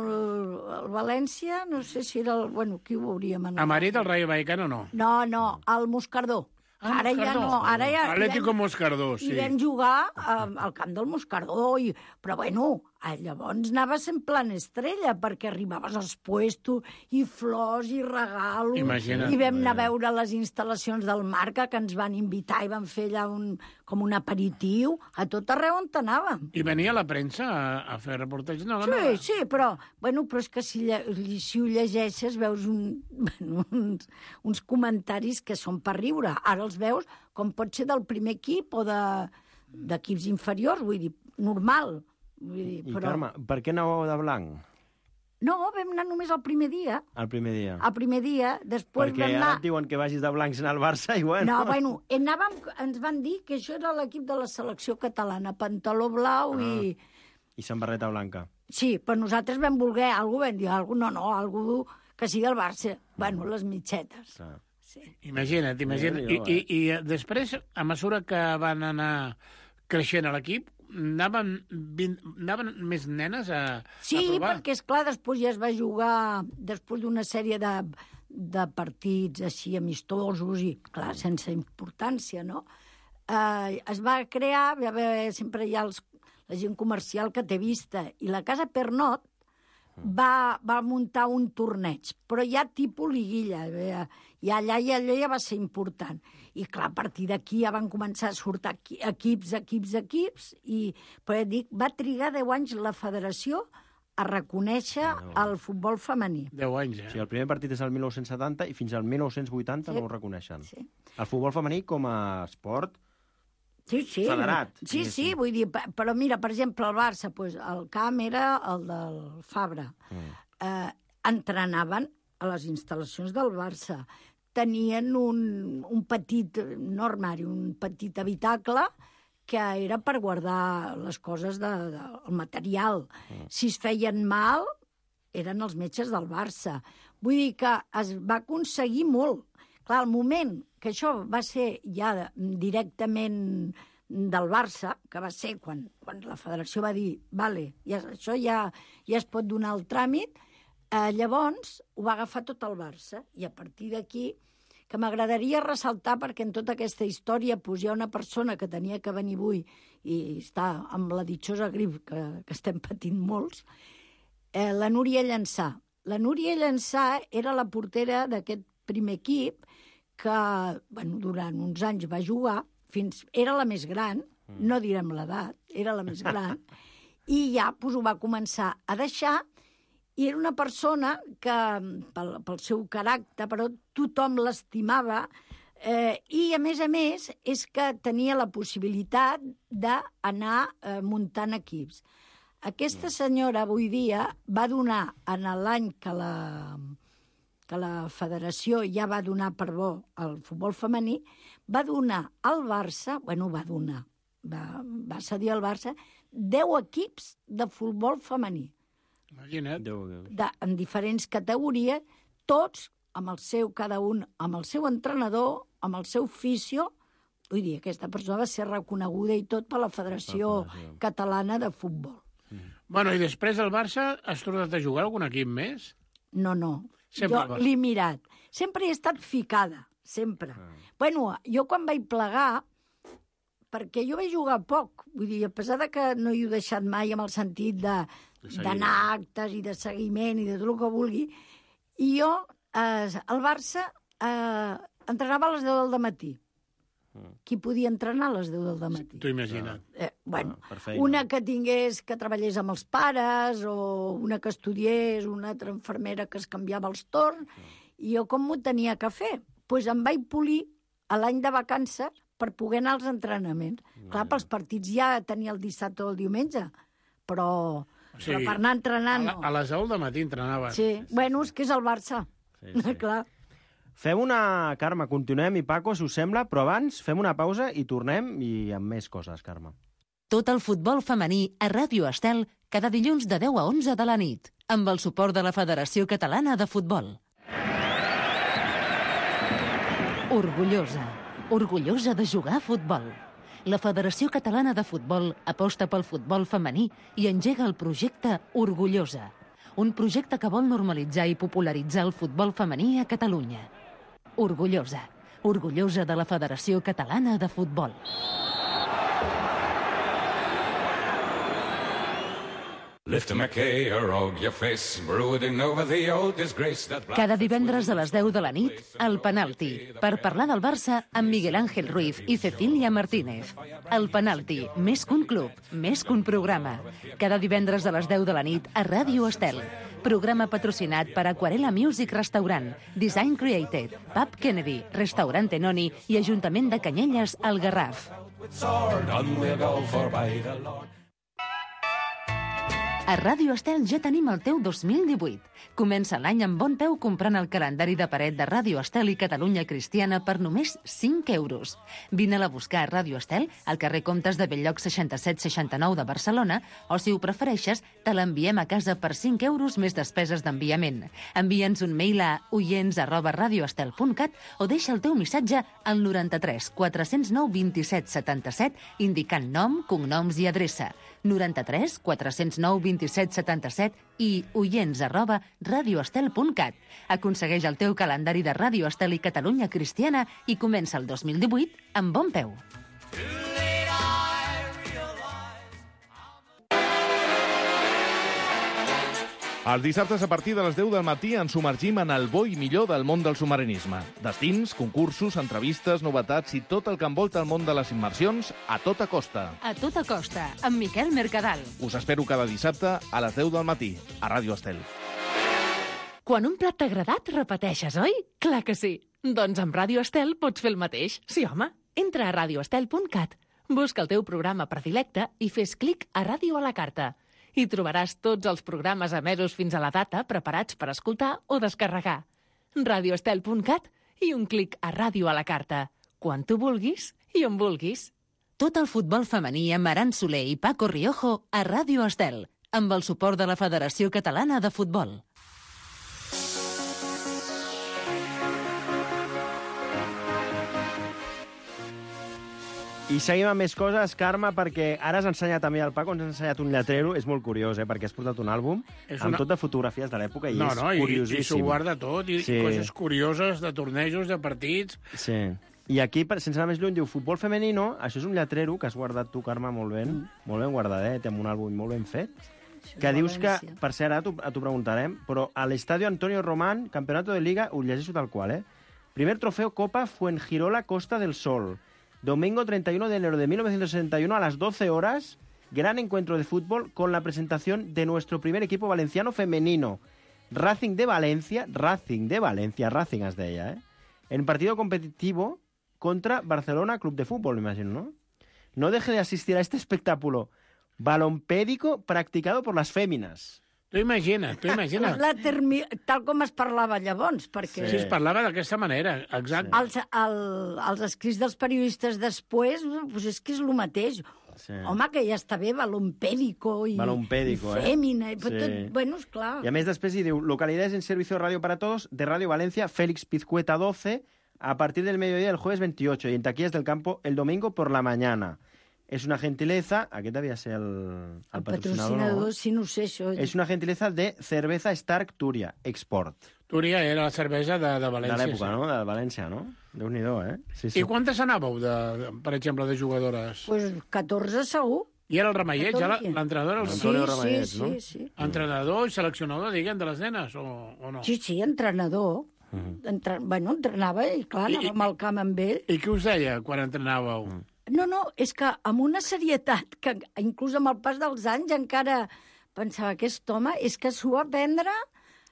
el València, no sé si era el... Bueno, qui ho hauríem anat? A Madrid, el Rayo Vallecano, no. No, no, el Moscardó. Ah, Ara ja Moscardó. no, ara ja... Atlético Moscardó, sí. I vam jugar um, al camp del Moscardó, i... però bueno, llavors anaves en plan estrella, perquè arribaves als puestos, i flors, i regalos, Imagina't. i vam anar a veure les instal·lacions del Marca, que ens van invitar i van fer allà un, com un aperitiu, a tot arreu on anàvem. I venia la premsa a, a fer reportatges? No, la Sí, meva. sí, però, bueno, però és que si, lle si ho llegeixes veus un, bueno, uns, uns comentaris que són per riure. Ara els veus com pot ser del primer equip o d'equips inferiors, vull dir, normal. Vull dir, I, però... Carme, per què anàveu de blanc No, vam anar només el primer dia. el primer dia? El primer dia, després Perquè vam ara anar... et diuen que vagis de blanc anar al Barça i bueno... No, bueno, anàvem, ens van dir que això era l'equip de la selecció catalana, pantaló blau Ah. i... I samarreta blanca. Sí, però nosaltres vam voler, algú vam dir, algú, no, no, algú que sigui el Barça. Bueno, les mitgetes. Clar. Sí. Imagina't, imagina't. I, Déu-n'hi-do, i, I després, a mesura que van anar creixent a l'equip, anaven, vint, anaven més nenes a, Sí, a provar? perquè, esclar, després ja es va jugar, després d'una sèrie de, de partits així amistosos i, clar, sense importància, no? Eh, es va crear, va haver, sempre hi ha els, la gent comercial que té vista, i la Casa Pernot va, va muntar un torneig, però ja tipus liguilla, eh, i allà i allò ja va ser important. I clar, a partir d'aquí ja van començar a sortir equi- equips, equips, equips, i, però ja dic, va trigar deu anys la federació a reconèixer el futbol femení. Deu anys, O eh? sigui, el primer partit és el mil nou-cents setanta i fins al mil nou-cents vuitanta Sí. no ho reconeixen. Sí. El futbol femení com a esport... Sí, sí. Federat, Sí, diguéssim. sí, vull dir, pe- però mira, per exemple, el Barça, pues, el camp era el del Fabra. Mm. Eh, entrenaven a les instal·lacions del Barça. Tenien un, un petit, no armari, un petit habitacle que era per guardar les coses, de, de, el material. Mm. Si es feien mal, eren els metges del Barça. Vull dir que es va aconseguir molt. Clar, el moment que això va ser ja directament del Barça, que va ser quan, quan la federació va dir vale, ja, això ja, ja es pot donar el tràmit, eh, llavors ho va agafar tot el Barça. I a partir d'aquí, que m'agradaria ressaltar, perquè en tota aquesta història pues, hi ha una persona que tenia que venir avui i està amb la ditxosa grip que, que estem patint molts, eh, la Núria Llançà. La Núria Llançà era la portera d'aquest primer equip que bueno, durant uns anys va jugar, fins era la més gran, no direm l'edat, era la més gran, i ja pues, ho va començar a deixar, i era una persona que, pel, pel seu caràcter, però tothom l'estimava, eh, i a més a més és que tenia la possibilitat d'anar eh, muntant equips. Aquesta senyora avui dia va donar en l'any que la que la federació ja va donar per bo al futbol femení, va donar al Barça, bueno, va donar, va, va cedir al Barça, deu equips de futbol femení, Imagina't. Déu, de, en diferents categories, tots amb el seu, cada un, amb el seu entrenador, amb el seu fisio. Vull dir, aquesta persona va ser reconeguda i tot per la Federació La Federació. Catalana de Futbol. Bueno, i després del Barça has tornat a jugar algun equip més? No, no. Sempre al Jo Barça. l'he mirat. Sempre he estat ficada, sempre. Ah. Bueno, jo quan vaig plegar, perquè jo vaig jugar poc, vull dir, a pesar de que no hi he deixat mai amb el sentit de d'anar a actes i de seguiment i de tot el que vulgui, i jo, eh, al Barça, eh, entrenava a les deu del matí. Qui podia entrenar a les deu del matí? T'ho imagina't. Eh, bueno, per feina. una que tingués, que treballés amb els pares, o una que estudiés, una altra infermera que es canviava els torns, i jo com m'ho tenia que fer? Doncs pues em vaig polir a l'any de vacances per poder anar als entrenaments. Clar, pels partits ja tenia el dissabte o el diumenge, però, Sí. però per anar A, entrenant la, no. a les deu del matí entrenaves. Sí, bueno, és que és el Barça. Sí, sí. Clar. Fem una... Carme, continuem, i Paco, si us sembla, però abans fem una pausa i tornem i amb més coses, Carme. Tot el futbol femení a Ràdio Estel cada dilluns de deu a onze de la nit, amb el suport de la Federació Catalana de Futbol. Orgullosa. Orgullosa de jugar a futbol. La Federació Catalana de Futbol aposta pel futbol femení i engega el projecte Orgullosa, un projecte que vol normalitzar i popularitzar el futbol femení a Catalunya. Orgullosa. Orgullosa de la Federació Catalana de Futbol. Cada divendres a les deu de la nit, El Penalti, per parlar del Barça amb Miguel Ángel Ruiz i Cecilia Martínez. El Penalti, més que un club, més que un programa. Cada divendres a les deu de la nit a Ràdio Estel. Programa patrocinat per Aquarela Music Restaurant, Design Created, Pub Kennedy, Restaurant Tenoni i Ajuntament de Canyelles, al Garraf. A Ràdio Estel ja tenim el teu dos mil divuit. Comença l'any amb bon peu comprant el calendari de paret de Ràdio Estel i Catalunya Cristiana per només cinc euros. Vine-la a buscar a Ràdio Estel, al carrer Comtes de Belllloc seixanta-set seixanta-nou de Barcelona, o si ho prefereixes, te l'enviem a casa per cinc euros més despeses d'enviament. Envia'ns un mail a oients arroba radioestel punt cat o deixa el teu missatge al noranta-tres quatre-cents nou vint-i-set setanta-set indicant nom, cognoms i adreça. noranta-tres quatre-cents nou vint-i-set setanta-set i oients arroba radioestel punt cat. Aconsegueix el teu calendari de Ràdio Estel i Catalunya Cristiana i comença el dos mil divuit amb bon peu. Els dissabtes a partir de les deu del matí ens submergim en el bo i millor del món del submarinisme. Destins, concursos, entrevistes, novetats i tot el que envolta el món de les immersions a tota costa. A tota costa, amb Miquel Mercadal. Us espero cada dissabte a les deu del matí, a Ràdio Estel. Quan un plat t'ha agradat, repeteixes, oi? Clar que sí. Doncs amb Ràdio Estel pots fer el mateix. Sí, home. Entra a radioestel punt cat, busca el teu programa predilecte i fes clic a Ràdio a la carta. Hi trobaràs tots els programes emesos fins a la data preparats per escoltar o descarregar. radioestel punt cat i un clic a Ràdio a la carta. Quan tu vulguis i on vulguis. Tot el futbol femení amb Aran Soler i Paco Riojo a Ràdio Estel, amb el suport de la Federació Catalana de Futbol. I seguim amb més coses, Carme, perquè ara has ensenyat també al Paco, ens has ensenyat un lletrero, és molt curiós, eh, perquè has portat un àlbum És amb una- tot de fotografies de l'època i No, és no, i, i curiosíssim. s'ho guarda tot, i, Sí. i coses curioses de tornejos, de partits. Sí. I aquí, per- sense anar més lluny, diu futbol femenino, això és un lletrero que has guardat tu, Carme, molt ben, mm. molt ben guardadet, amb un àlbum molt ben fet, que dius que, València. per cert, ara t'ho t'ho preguntarem, però a l'Estadio Antonio Román, Campeonato de Liga, ho llegeixo tal qual, eh? Primer trofeo Copa Fuengirola Costa del Sol. Domingo treinta y uno de enero de mil novecientos sesenta y uno a las doce horas, gran encuentro de fútbol con la presentación de nuestro primer equipo valenciano femenino, Racing de Valencia, Racing de Valencia, Racing es deia, eh? En partido competitivo contra Barcelona Club de Fútbol, me imagino, ¿no? No deje de asistir a este espectáculo balompédico practicado por las féminas. Tu imagina't, tu imagina't. La termi... Tal com es parlava llavors, perquè Sí, es parlava d'aquesta manera, exacte. els, el, els escrits dels periodistes després, doncs és que és el mateix. Sí. Home, que ja està bé, balompédico i, Balompédico, i eh? fèmina, i Sí. tot, bueno, esclar. Y a mes després hi diu, localidades en servicio de radio para todos de Radio Valencia, Félix Pizcueta doce, a partir del mediodía del jueves veintiocho, y en taquillas del campo el domingo por la mañana. Es una gentileza, aquest devia ser el, el, El patrocinador, patrocinador, no? sí, no ho sé, això. Es una gentileza de Cerveza Stark Turia, Export. Túria era la cervesa de, de De València. l'època, sí. no? De València, no? Déu-n'hi-do, eh? Sí, sí. I quantes anàveu, de, de, per exemple, de jugadores? Pues catorze segur. I era el Ramellet, ja la- catorze. l'entrenador? El... Sí, Antonio sí, Ramellet, sí, no? sí. Entrenador i seleccionador, diguem, de les nenes, o, o no? Sí, sí, entrenador. Entre... Bueno, entrenava i, clar, I- anàvem al camp amb ell. I què us deia quan entrenàveu? Mm. No, no, és que amb una serietat que inclús amb el pas dels anys encara pensava que aquest home és que s'ho va aprendre,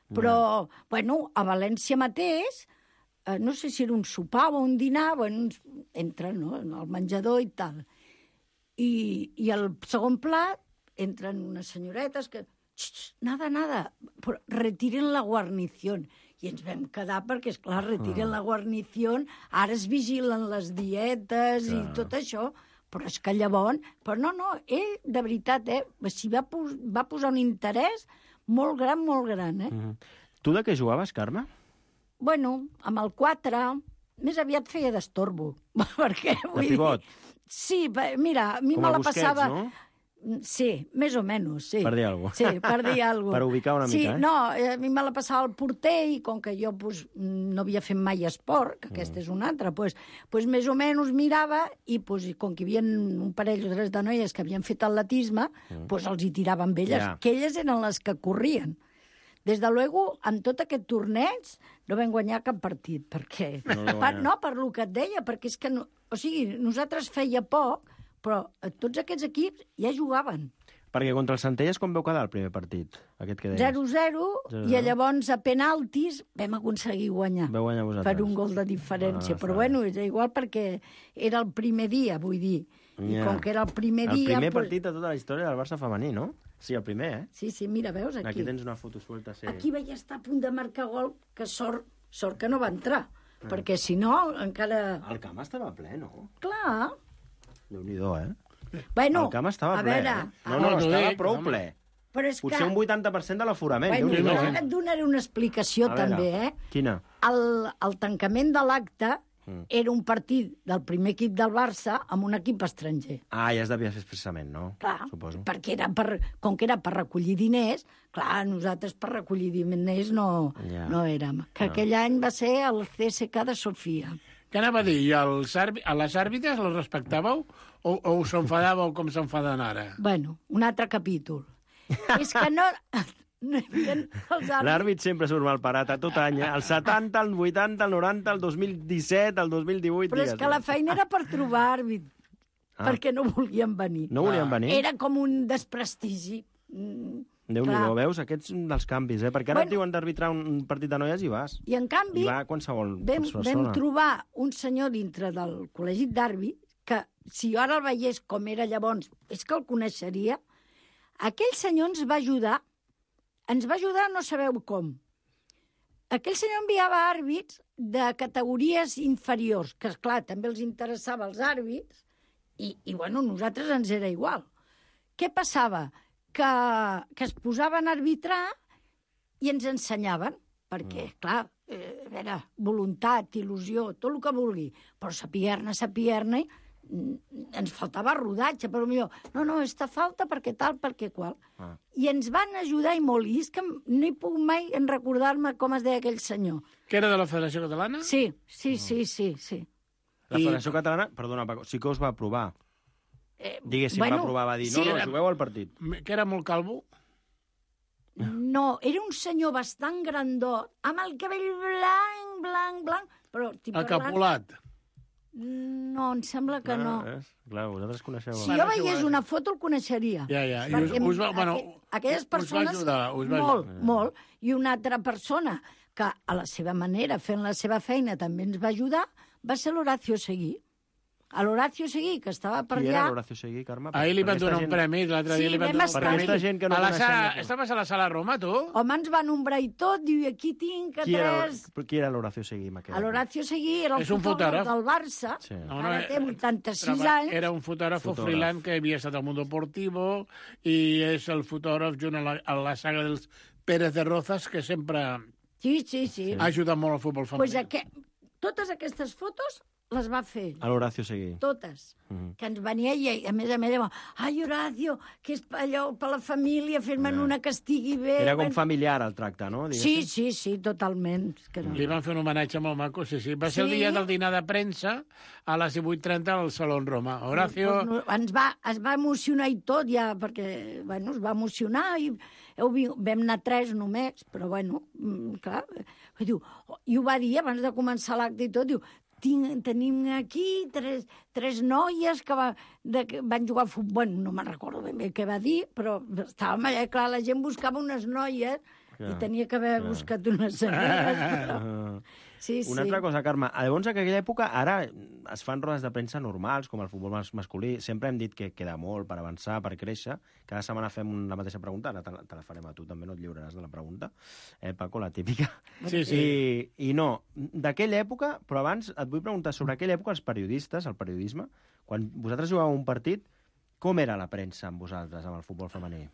però, bueno, a València mateix, eh, no sé si era un sopar o un dinar, bueno, uns- entra, no?, al menjador i tal. I, i al segon plat entren unes senyoretes que... "Xxt, nada, nada, però retiren la guarnició. I ens vam quedar perquè, esclar, retiren la guarnició, ara es vigilen les dietes i tot això, però és que llavors... Però no, no, ell, de veritat, eh, s'hi va, pos va posar un interès molt gran, molt gran, eh? Mhm. Tu de què jugaves, Carme? Bueno, amb el quatre, més aviat feia d'estorbo. Perquè, De pivot? Dir, sí, mira, a mi Com me a la Busquets, passava... no? Sí, més o menys, sí. Per dir alguna cosa. Sí, per dir alguna cosa. Per ubicar una sí, mica, eh? No, a mi me la passava el porter i com que jo pues, no havia fet mai esport, que aquesta mm. és una altra, pues, pues més o menys mirava i pues, com que hi havia un parell o tres de noies que havien fet atletisme, mm. pues els hi tiraven amb elles, yeah. que elles eren les que corrien. Des de luego, en tot aquest torneig no vam guanyar cap partit, perquè... No, per, no per lo que et deia, perquè és que... No, o sigui, nosaltres feia poc, però tots aquests equips ja jugaven. Perquè contra el Centelles com veu quedar el primer partit? Aquest que deies? zero zero, i llavors a penaltis vam aconseguir guanyar. Vau guanyar vosaltres. Per un gol de diferència. Ah, però bueno, és igual perquè era el primer dia, vull dir. I yeah. com que era el primer el dia... El primer pues... partit de tota la història del Barça femení, no? Sí, el primer, eh? Sí, sí, mira, veus aquí. Aquí tens una foto suelta. Sí. Aquí vaig estar a punt de marcar gol, que sort, sort que no va entrar. Ah. Perquè si no, encara... El camp estava ple, no? Clar. Déu-n'hi-do, eh? Bueno, el camp estava a ple, veure, eh? No, no, no estava dic, prou ple. Però és Potser que... un vuitanta per cent de l'aforament. Bueno, jo et donaré una explicació també, eh? Quina? El, el tancament de l'acte mm. era un partit del primer equip del Barça amb un equip estranger. Ah, ja es devia fer expressament, no? Clar, suposo. Perquè era per, com que era per recollir diners, clar, nosaltres per recollir diners no, yeah. no érem. Que no. Aquell any va ser el C S K de Sofia. Què anava a dir? I els a les àrbitres les respectàveu o, o us enfadàveu com s'enfaden ara? Bueno, un altre capítol. És que no... no L'àrbit sempre surt mal parat a tot any, eh? El setanta, el vuitanta, el noranta, el dos mil disset, el dos mil divuit... Però digues, és que la feina era per trobar àrbit, ah. perquè no volien venir. No volien ah. venir? Era com un desprestigi. Déu-n'hi-do, veus? Aquests dels canvis, eh? Perquè ara bueno, et diuen d'arbitrar un partit de noies i vas. I en canvi, I va qualsevol vam, persona. Vam trobar un senyor dintre del col·legi d'àrbit que, si jo ara el veiés com era llavors, és que el coneixeria. Aquell senyor ens va ajudar, ens va ajudar no sabeu com. Aquell senyor enviava àrbits de categories inferiors, que, esclar, també els interessava els àrbits, i, i bueno, nosaltres ens era igual. Què passava? Que, que es posaven a arbitrar i ens ensenyaven, perquè, mm. clar, eh, a veure, voluntat, il·lusió, tot el que vulgui, però sapier-ne, sapier-ne, ens faltava rodatge, però millor, no, no, esta falta perquè tal, perquè qual. Ah. I ens van ajudar i molt, i és que no hi puc mai en recordar-me com es deia aquell senyor. Que era de la Federació Catalana? Sí, sí, sí, sí, sí. La Federació I... Catalana, perdona, Paco, sí que us va aprovar. Eh, Diguéssim, bueno, va provar, va dir, no, sí, no, jugueu al partit. Que era molt calvo? No, era un senyor bastant grandot, amb el cabell blanc, blanc, blanc, però... Acapulat. No, em sembla que no. no. És, clar, vosaltres coneixeu... Si jo veiés una foto el coneixeria. Ja, ja. I us, us va, bueno, aquelles persones... Us va ajudar. Us va molt, ajudar. molt. I una altra persona que a la seva manera, fent la seva feina, també ens va ajudar, va ser l'Horacio Seguí. A l'Horacio Seguí, que estava per allà... Qui era l'Horacio Seguí, Carme? Ahir li van donar un premi, l'altre dia li van donar un premi. Per aquesta gent que no coneixem... Estaves a la sala Roma, tu? Home, ens van ombrar i tot, diu, aquí tinc a tres... Qui era l'Horacio Seguí? L'Horacio Seguí era el fotògraf del Barça, sí. no, no, ara té vuitanta-sis anys. Era un fotògraf freelance que havia estat al Mundo Deportivo i és el fotògraf junt a la, a la saga dels Pérez de Rozas, que sempre sí, sí, sí. ha ajudat molt al futbol femení. Pues aqu... Totes aquestes fotos les va fer. A l'Horacio Seguí. Totes. Mm-hmm. Que ens venia i, a més a més, dèiem, ai, Horacio, que és allò per la família, fer-me'n una que estigui bé. Era com familiar el tracte, no? Diguéssim. Sí, sí, sí, totalment. Que no. Li van fer un homenatge molt maco, sí, sí. Va ser sí? el dia del dinar de premsa a les divuit trenta al Salón Roma. Horacio... No, no, ens va, es va emocionar i tot, ja, perquè, bueno, es va emocionar i heu, vam anar tres només, però, bueno, clar, diu, i ho va dir abans de començar l'acte i tot, diu, Tinc, tenim aquí tres, tres noies que, va, de, que van jugar a futbol. Bueno, no me'n recordo ben bé què va dir, però estàvem allà, clar, la gent buscava unes noies clar, i tenia que haver clar. buscat unes senyores. Però... Sí, Una sí. altra cosa, Carme, llavors en aquella època, ara es fan rodes de premsa normals, com el futbol masculí, sempre hem dit que queda molt per avançar, per créixer, cada setmana fem la mateixa pregunta, ara te la, te la farem a tu, també no et lliuraràs de la pregunta, eh, Paco, la típica. Sí, sí. I, i no, d'aquella època, però abans et vull preguntar sobre aquella època, els periodistes, el periodisme, quan vosaltres jugàveu un partit, com era la premsa amb vosaltres, amb el futbol femení?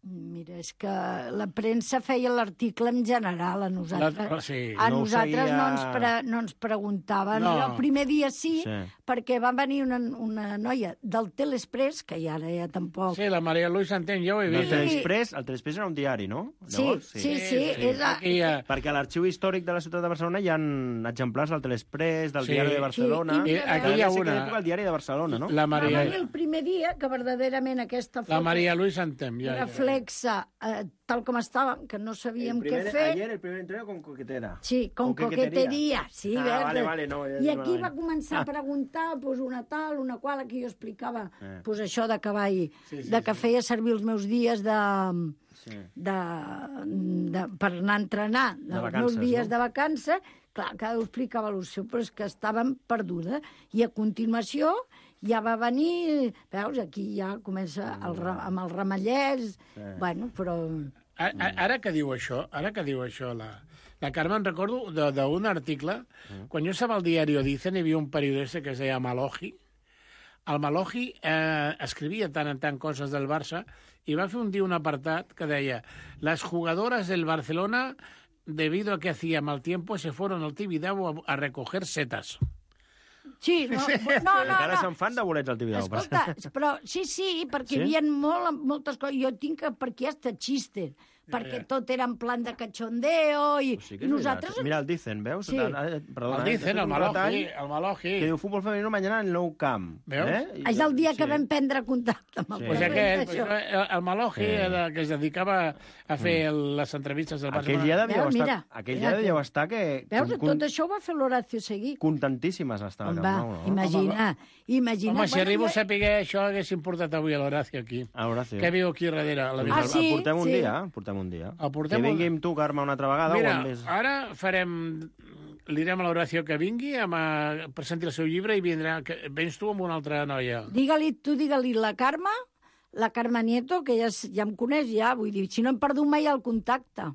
Mira, és que la premsa feia l'article en general, a nosaltres. La, sí, a no nosaltres seguia... no, ens pre, no ens preguntaven. No. Jo el primer dia sí, Sí. perquè va venir una, una noia del Telexpress, que ja ara ja tampoc... Sí, la Maria Luis Santent, jo ho he El vist. Telexpress, el Telexpress era un diari, no? Sí, Llavors, sí, sí. sí, és a... Aquí, eh, Perquè a l'arxiu històric de la ciutat de Barcelona hi ha exemplars del Telexpress, del Sí. diari de Barcelona... Sí, i- I aquí hi ha Devia ser una... aquella època el diari de Barcelona, no? La Va Maria, venir el primer dia que verdaderament aquesta la foto Maria Luis Santent, ja, ja. reflexa eh, tal com estàvem, que no sabíem el primer, què fer. Ayer el primer entreno con coquetera. Sí, con, Con coqueteria. Sí, Ah, verda. vale, vale, no, ja I dic aquí malament. va començar a preguntar pues, una tal, una qual, aquí jo explicava Eh. pues, això de cavall, Sí, sí, de que sí. feia servir els meus dies de, Sí. de, de, per anar a entrenar, De dels vacances, meus dies no? de vacances. Clar, cada ho explicava el seu, però és que estàvem perdudes. I a continuació ja va venir, veus, aquí ja comença el, ra- amb els ramallets, bueno, però... A- a- Ara que diu això, ara que diu això, la, la Carme, en recordo de- d'un article, quan jo estava al diari Dicen, hi havia un periodista que es deia Maloji. El Maloji eh, escrivia tant en tant coses del Barça i va fer un dia un apartat que deia «Las jugadoras del Barcelona, debido a que hacía mal tiempo, se fueron al Tibidabo a, a recoger setas». Sí, no, no, no, Encara no. se'n fan de bolets al Tibidabo. per Escolta, cert. però sí, sí, perquè Sí? hi havia molt, moltes coses. Jo tinc que, perquè hasta xistes, perquè ja. tot era en plan de cachondeo i, Pues sí que i és nosaltres... veritat. Mira, el Dicen, veus? Sí. Eh, Perdona, El eh, Dicen, he fet el un Maloji, retall el Maloji. Que diu futbol femenino mañana en el Nou Camp. Veus? Eh? I- És el dia que sí. vam prendre contacte amb el Sí. Pues president, aquest, això. pues, el, el Maloji, Sí. era, que es dedicava a fer el, les entrevistes del Barça. Aquell dia devíeu Veus, estar, mira, aquell mira dia devíeu que- estar que... Veus, con- tot això ho va fer l'Horacio Seguí. Contentíssimes estaven. On va, No, no? imagina, imagina... Home, si Bueno, arribo a jo- saber això, haguéssim portat avui a l'Horacio aquí. A Horacio. Que viu aquí darrere. A la Ah, el, sí? el portem un Sí. dia, el portem un dia. El portem que un- vingui amb tu, Carme, una altra vegada. Mira, o amb més... ara farem... Li direm a l'Horacio que vingui, amb, a, presenti el seu llibre i vindrà... Que, vens tu amb una altra noia. Digue-li, tu digue-li la Carme, la Carme Nieto, que ja, es- ja em coneix ja, vull dir, si no hem perdut mai el contacte.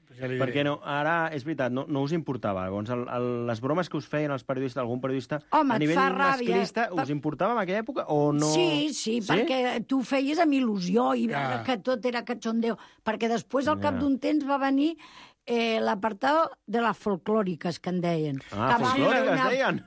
Pues ja li diré. Perquè no, ara, és veritat, no, no us importava. Llavors, el, el, les bromes que us feien els periodistes, algun periodista, Home, a et nivell fa ràbia. masclista, Per- us importava en aquella època o no? Sí, sí, perquè tu ho feies amb il·lusió i veure Ah. que tot era cachondeo. Perquè després, al cap Ja. d'un temps, va venir eh, l'apartado de les folclòriques, que en deien. Ah, que va folclòriques, fer una- deien.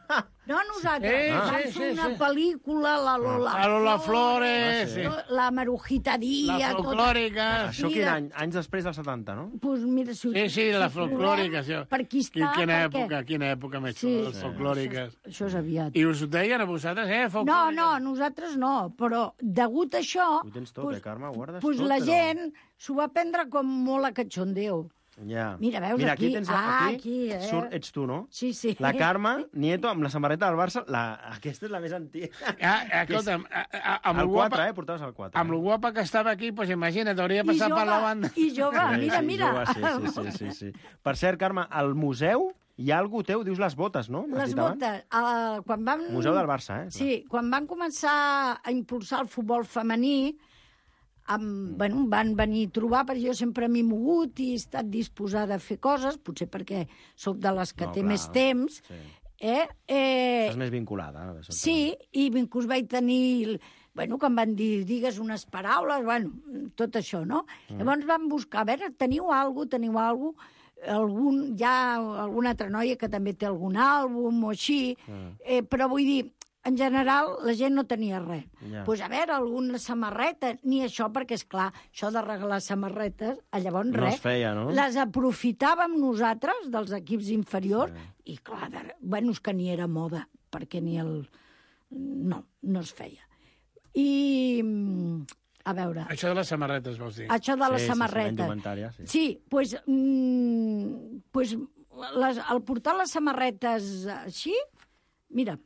No, nosaltres. Eh, Vam sí, fer sí, una sí. pel·lícula, la Lola, La Lola Flores, sí. la Marujita Díaz... La folclòrica. Això quin any? Anys després del setanta, no? Pues mira, si, Sí, sí, la si folclòrica. trobem, Sí. Per aquí està, Quina perquè... època, quina època més Sí, xula, les sí. folclòriques. Això, això és aviat. I us ho deien a vosaltres, eh, No, folclòriques? no, nosaltres no, però degut a això... Ho tens tot, pues, eh, Carme? Ho guardes pues tot, la però- gent s'ho va prendre com molt a cachondeo. Ja. Mira, veus, Mira, aquí- aquí, tens, ah, aquí, aquí, eh? surt, ets tu, no? Sí, sí. La Carme Nieto amb la samarreta del Barça. La... Aquesta és la més antiga. Ah, escolta'm, a- a- amb el lo quatre, guapa, eh? Portaves el quatre. amb lo guapa que estava aquí, pues imagina't, hauria de I passar per la jove, banda. I jove, Sí, mira, sí, mira. jove, sí, sí, sí, sí, sí. Per cert, Carme, al museu hi ha algú teu, dius les botes, no? M'has Les dit abans? botes, uh, quan vam... Museu del Barça, eh? Sí, quan van començar a impulsar el futbol femení, amb, bueno, em van venir a trobar, perquè jo sempre m'he mogut i he estat disposada a fer coses, potser perquè sóc de les que No, té clar, més temps, sí. eh? eh Estàs més vinculada. eh? sí, i inclús vaig tenir... Bueno, que em van dir, digues unes paraules, bueno, tot això, no? Mm. Llavors vam buscar, a veure, teniu alguna cosa, teniu alguna cosa, algun, hi ha alguna altra noia que també té algun àlbum o així, Mm. eh, però vull dir, en general, la gent no tenia res. Doncs Ja. pues, a veure, alguna samarreta, ni això, perquè, és clar, això de regalar samarretes, a llavors No res. es feia, no? Les aprofitàvem nosaltres, dels equips inferiors, sí. I clar, de... bueno, és que ni era moda, perquè ni el... No, no es feia. I, mm, a veure, Això de les samarretes, vols dir? això de les Sí, sí, sí, la samarretes. indumentària, sí. Sí, pues, mm, pues les, al portar les samarretes així, mira,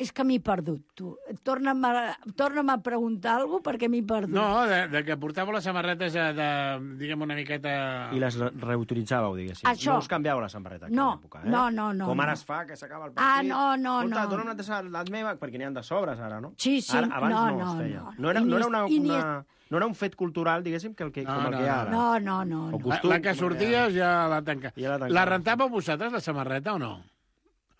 és que m'he perdut, tu. Torna'm a, torna'm a preguntar alguna cosa perquè m'he perdut. No, de, de que portàveu les samarretes de, de diguem, una miqueta... I les re- reutilitzàveu, diguéssim. Això. No us canviàveu la samarreta en No, aquella època, eh? no, no, no, Com ara no. es fa, que s'acaba el Ah, partit. no, no, Escolta, no. dona'm una tassa la meva, perquè n'hi ha de sobres ara, no? Sí, sí, Ara, abans no, no, no, es feia. no. No era, I no ni era es- una, i ni una, no era un fet cultural, diguéssim, que el que, No, com el no, que hi ha no, ara. No, no, no. O no. La, costum, la que com sortia hi ja la tanca. Ja la tancava. La rentàveu vosaltres, la samarreta, o no?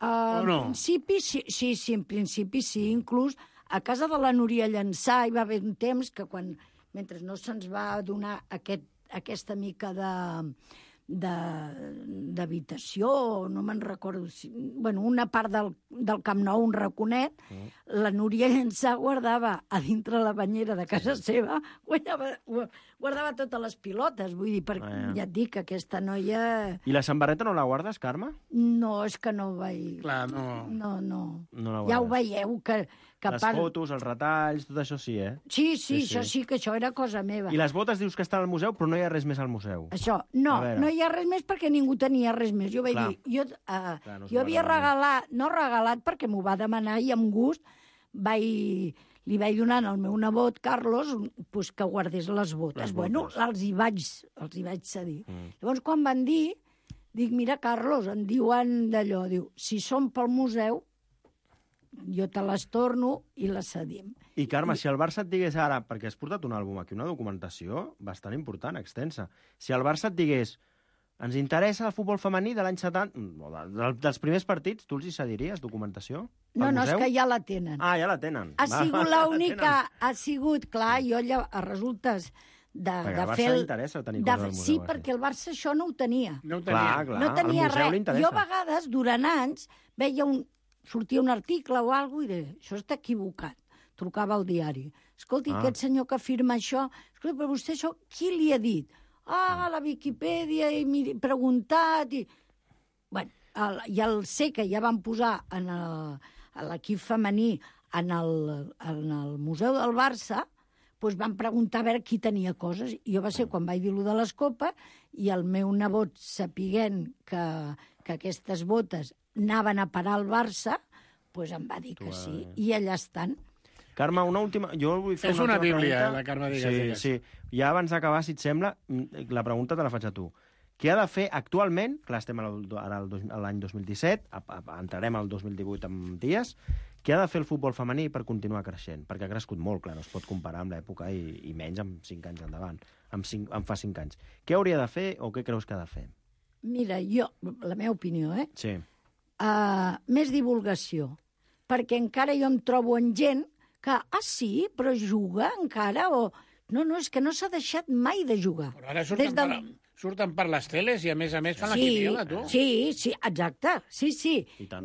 Uh, O no? En principi, sí, sí, sí, en principi sí. Inclús a casa de la Núria Llançà hi va haver un temps que quan mentre no se'ns va donar aquest, aquesta mica de d'habitació, no me'n recordo, si, bueno, una part del, del Camp Nou, un raconet, mm. la Núria Llençà guardava a dintre la banyera de casa sí. seva, guardava, guardava totes les pilotes, vull dir, perquè ah, ja. ja et dic que aquesta noia... I la samarreta no la guardes, Carme? No, és que no ho vaig... Clar, no... No, no. no la ja ho veieu, que... que les part... fotos, els retalls, tot això sí, eh? Sí, sí, sí, això sí, que això era cosa meva. I les botes dius que estan al museu, però no hi ha res més al museu. Això, no, no hi ha res més perquè ningú tenia res més. Jo vaig Clar. dir, jo, uh, Clar, no jo havia regalat, no regalat perquè m'ho va demanar i amb gust vaig, li vaig donar al meu nebot, Carlos, pues, que guardés les botes. Les bueno, botes. els hi vaig, els hi vaig cedir. Mm. Llavors, quan van dir, dic, mira, Carlos, em diuen d'allò, diu, si són pel museu, jo te les torno i les cedim. I, Carme, I... si el Barça et digués ara, perquè has portat un àlbum aquí, una documentació bastant important, extensa, si el Barça et digués, ens interessa el futbol femení de l'any setanta, de, dels primers partits, tu els hi cediries documentació? No, no, és que ja la tenen. Ah, ja la tenen. Ha sigut l'única, ha sigut, clar, jo allà, a resultes de, perquè de al fer... Barça li interessa tenir coses al museu. Sí, així. perquè el Barça això no ho tenia. No ho tenia. Clar, clar, no tenia al museu li res. interessa. Jo a vegades, durant anys, veia un, sortia un article o alguna cosa i deia, això està equivocat. Trucava al diari. Escolti, ah. aquest senyor que firma això, escolta, però vostè això, qui li ha dit? Ah, a la Viquipèdia, he miri, preguntat... I... Bueno, el, i el sé que ja van posar en l'equip femení en el, en el Museu del Barça, doncs van preguntar a veure qui tenia coses. I jo va ser quan vaig dir allò de les copes i el meu nebot, sapiguent que, que aquestes botes anaven a parar al Barça, doncs em va dir que sí, i allà estan. Carme, una última... Jo vull fer és una, una bíblia, pregunta. eh, la Carme Digues. Sí, digues. sí. Ja abans d'acabar, si et sembla, la pregunta te la faig a tu. Què ha de fer actualment, clar, estem ara a l'any dos mil disset, entrarem al dos mil divuit amb dies, què ha de fer el futbol femení per continuar creixent? Perquè ha crescut molt, clar, no es pot comparar amb l'època i, i menys amb cinc anys endavant, amb, cinc, amb fa cinc anys. Què hauria de fer o què creus que ha de fer? Mira, jo, la meva opinió, eh? Sí. Uh, més divulgació, perquè encara jo em trobo en gent que, ah, sí, però juga encara, o... No, no, és que no s'ha deixat mai de jugar. Però ara surten, del... per, surten per les teles i, a més a més, fan sí, la quiniela, tu. Sí, sí, exacte, sí, sí.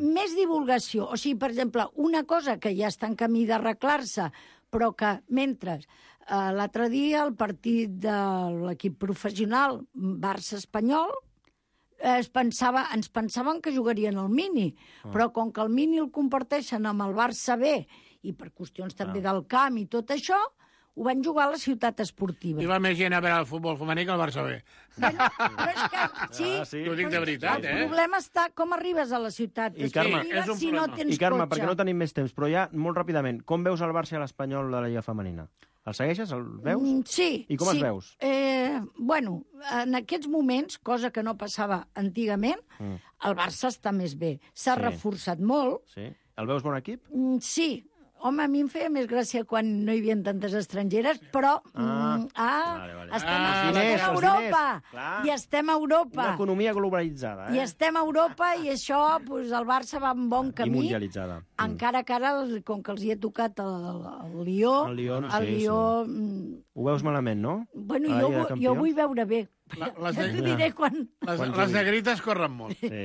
Més divulgació. O sigui, per exemple, una cosa que ja està en camí d'arreglar-se, però que mentre eh, l'altre dia el partit de l'equip professional Barça-Espanyol es pensava, ens pensaven que jugarien al Mini, ah. però com que el Mini el comparteixen amb el Barça B i per qüestions també ah. del camp i tot això, ho van jugar a la ciutat esportiva. I va més gent a veure el futbol femení que el Barça B. Bueno, però és que, sí, ah, sí. T'ho dic de veritat, el eh? El problema està com arribes a la ciutat I Carme, esportiva és un si no problema. tens I Carme, cotxe. perquè no tenim més temps, però ja, molt ràpidament, com veus el Barça i l'Espanyol de la Lliga Femenina? El segueixes? El veus? Mm, sí. I com sí. els veus? Eh, bueno, en aquests moments, cosa que no passava antigament, mm. el Barça està més bé. S'ha Sí. reforçat molt. Sí. El veus bon equip? Mm, sí. Home, a mi em feia més gràcia quan no hi havia tantes estrangeres, però Ah, mm, ah vale, vale. estem, Ah, estem diners, a els Europa. diners. Clar. I estem a Europa. Una economia globalitzada, eh? I estem a Europa i això, pues, el Barça va en bon I camí. mundialitzada. Encara que ara, com que els hi he tocat el, el Lió, El Lyon, el sí, Lió... sí. mm, Ho veus malament, no? Bueno, A la jo, Lliga de vu- jo Campions? vull veure bé. La- les ja de- t'ho diré quan... Les, Quan les jugui. negrites corren molt. Sí.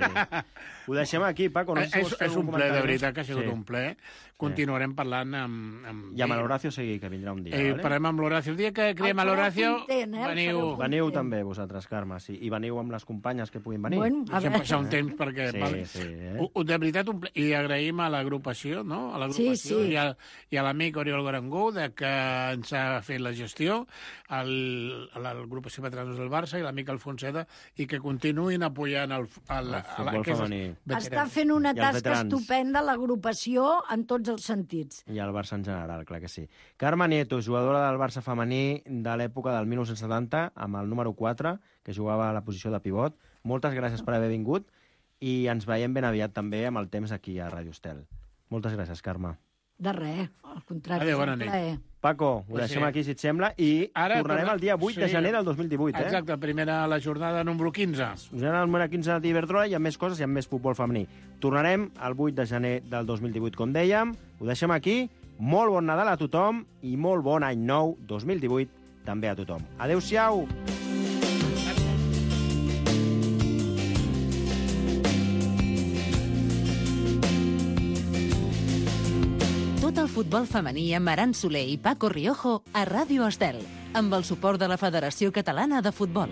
Ho deixem aquí, Paco. No sé si és, vols fer és algun un ple, de comentari. veritat, que ha sigut Sí. un ple. Continuarem parlant amb... amb I amb l'Horacio Seguí, que vindrà un dia. Eh, vale? parlem amb l'Horacio. El dia que creem El a l'Horacio, farà content, eh? El veniu... farà Veniu content. també, vosaltres, Carme, sí. I veniu amb les companyes que puguin venir. Bueno, a Deixem veure... passar un temps perquè... Sí, vale. sí, eh? U- u- De veritat, un ple... i agraïm a l'agrupació, no? A l'agrupació Sí, sí. i, a, i a l'amic Oriol Garangó, de que ens ha fet la gestió, el, a l'agrupació Patranos del Barça i l'amic Alfonseda, i que continuïn apoyant el, el, El futbol femení. Està fent una I els tasca veterans. estupenda l'agrupació en tots els sentits. I el Barça en general, clar que sí. Carme Nieto, jugadora del Barça femení de l'època del dinou setanta, amb el número quatre, que jugava a la posició de pivot. Moltes gràcies per haver vingut i ens veiem ben aviat també amb el temps aquí a Ràdio Estel. Moltes gràcies, Carme. De res, al contrari. Adéu, és un bona nit. plaer. Paco, ho Pues deixem sí. aquí, si et sembla, i Ara tornarem torna- el dia vuit de sí. gener del dos mil divuit, eh? Exacte, primera la jornada número quinze. Us anem al número quinze de Iberdrola i amb més coses i amb més futbol femení. Tornarem el vuit de gener del dos mil divuit, com dèiem. Ho deixem aquí. Molt bon Nadal a tothom i molt bon any nou dos mil divuit també a tothom. Adéu-siau! Tot el futbol femení amb Aran Soler i Paco Riojo a Ràdio Estel, amb el suport de la Federació Catalana de Futbol.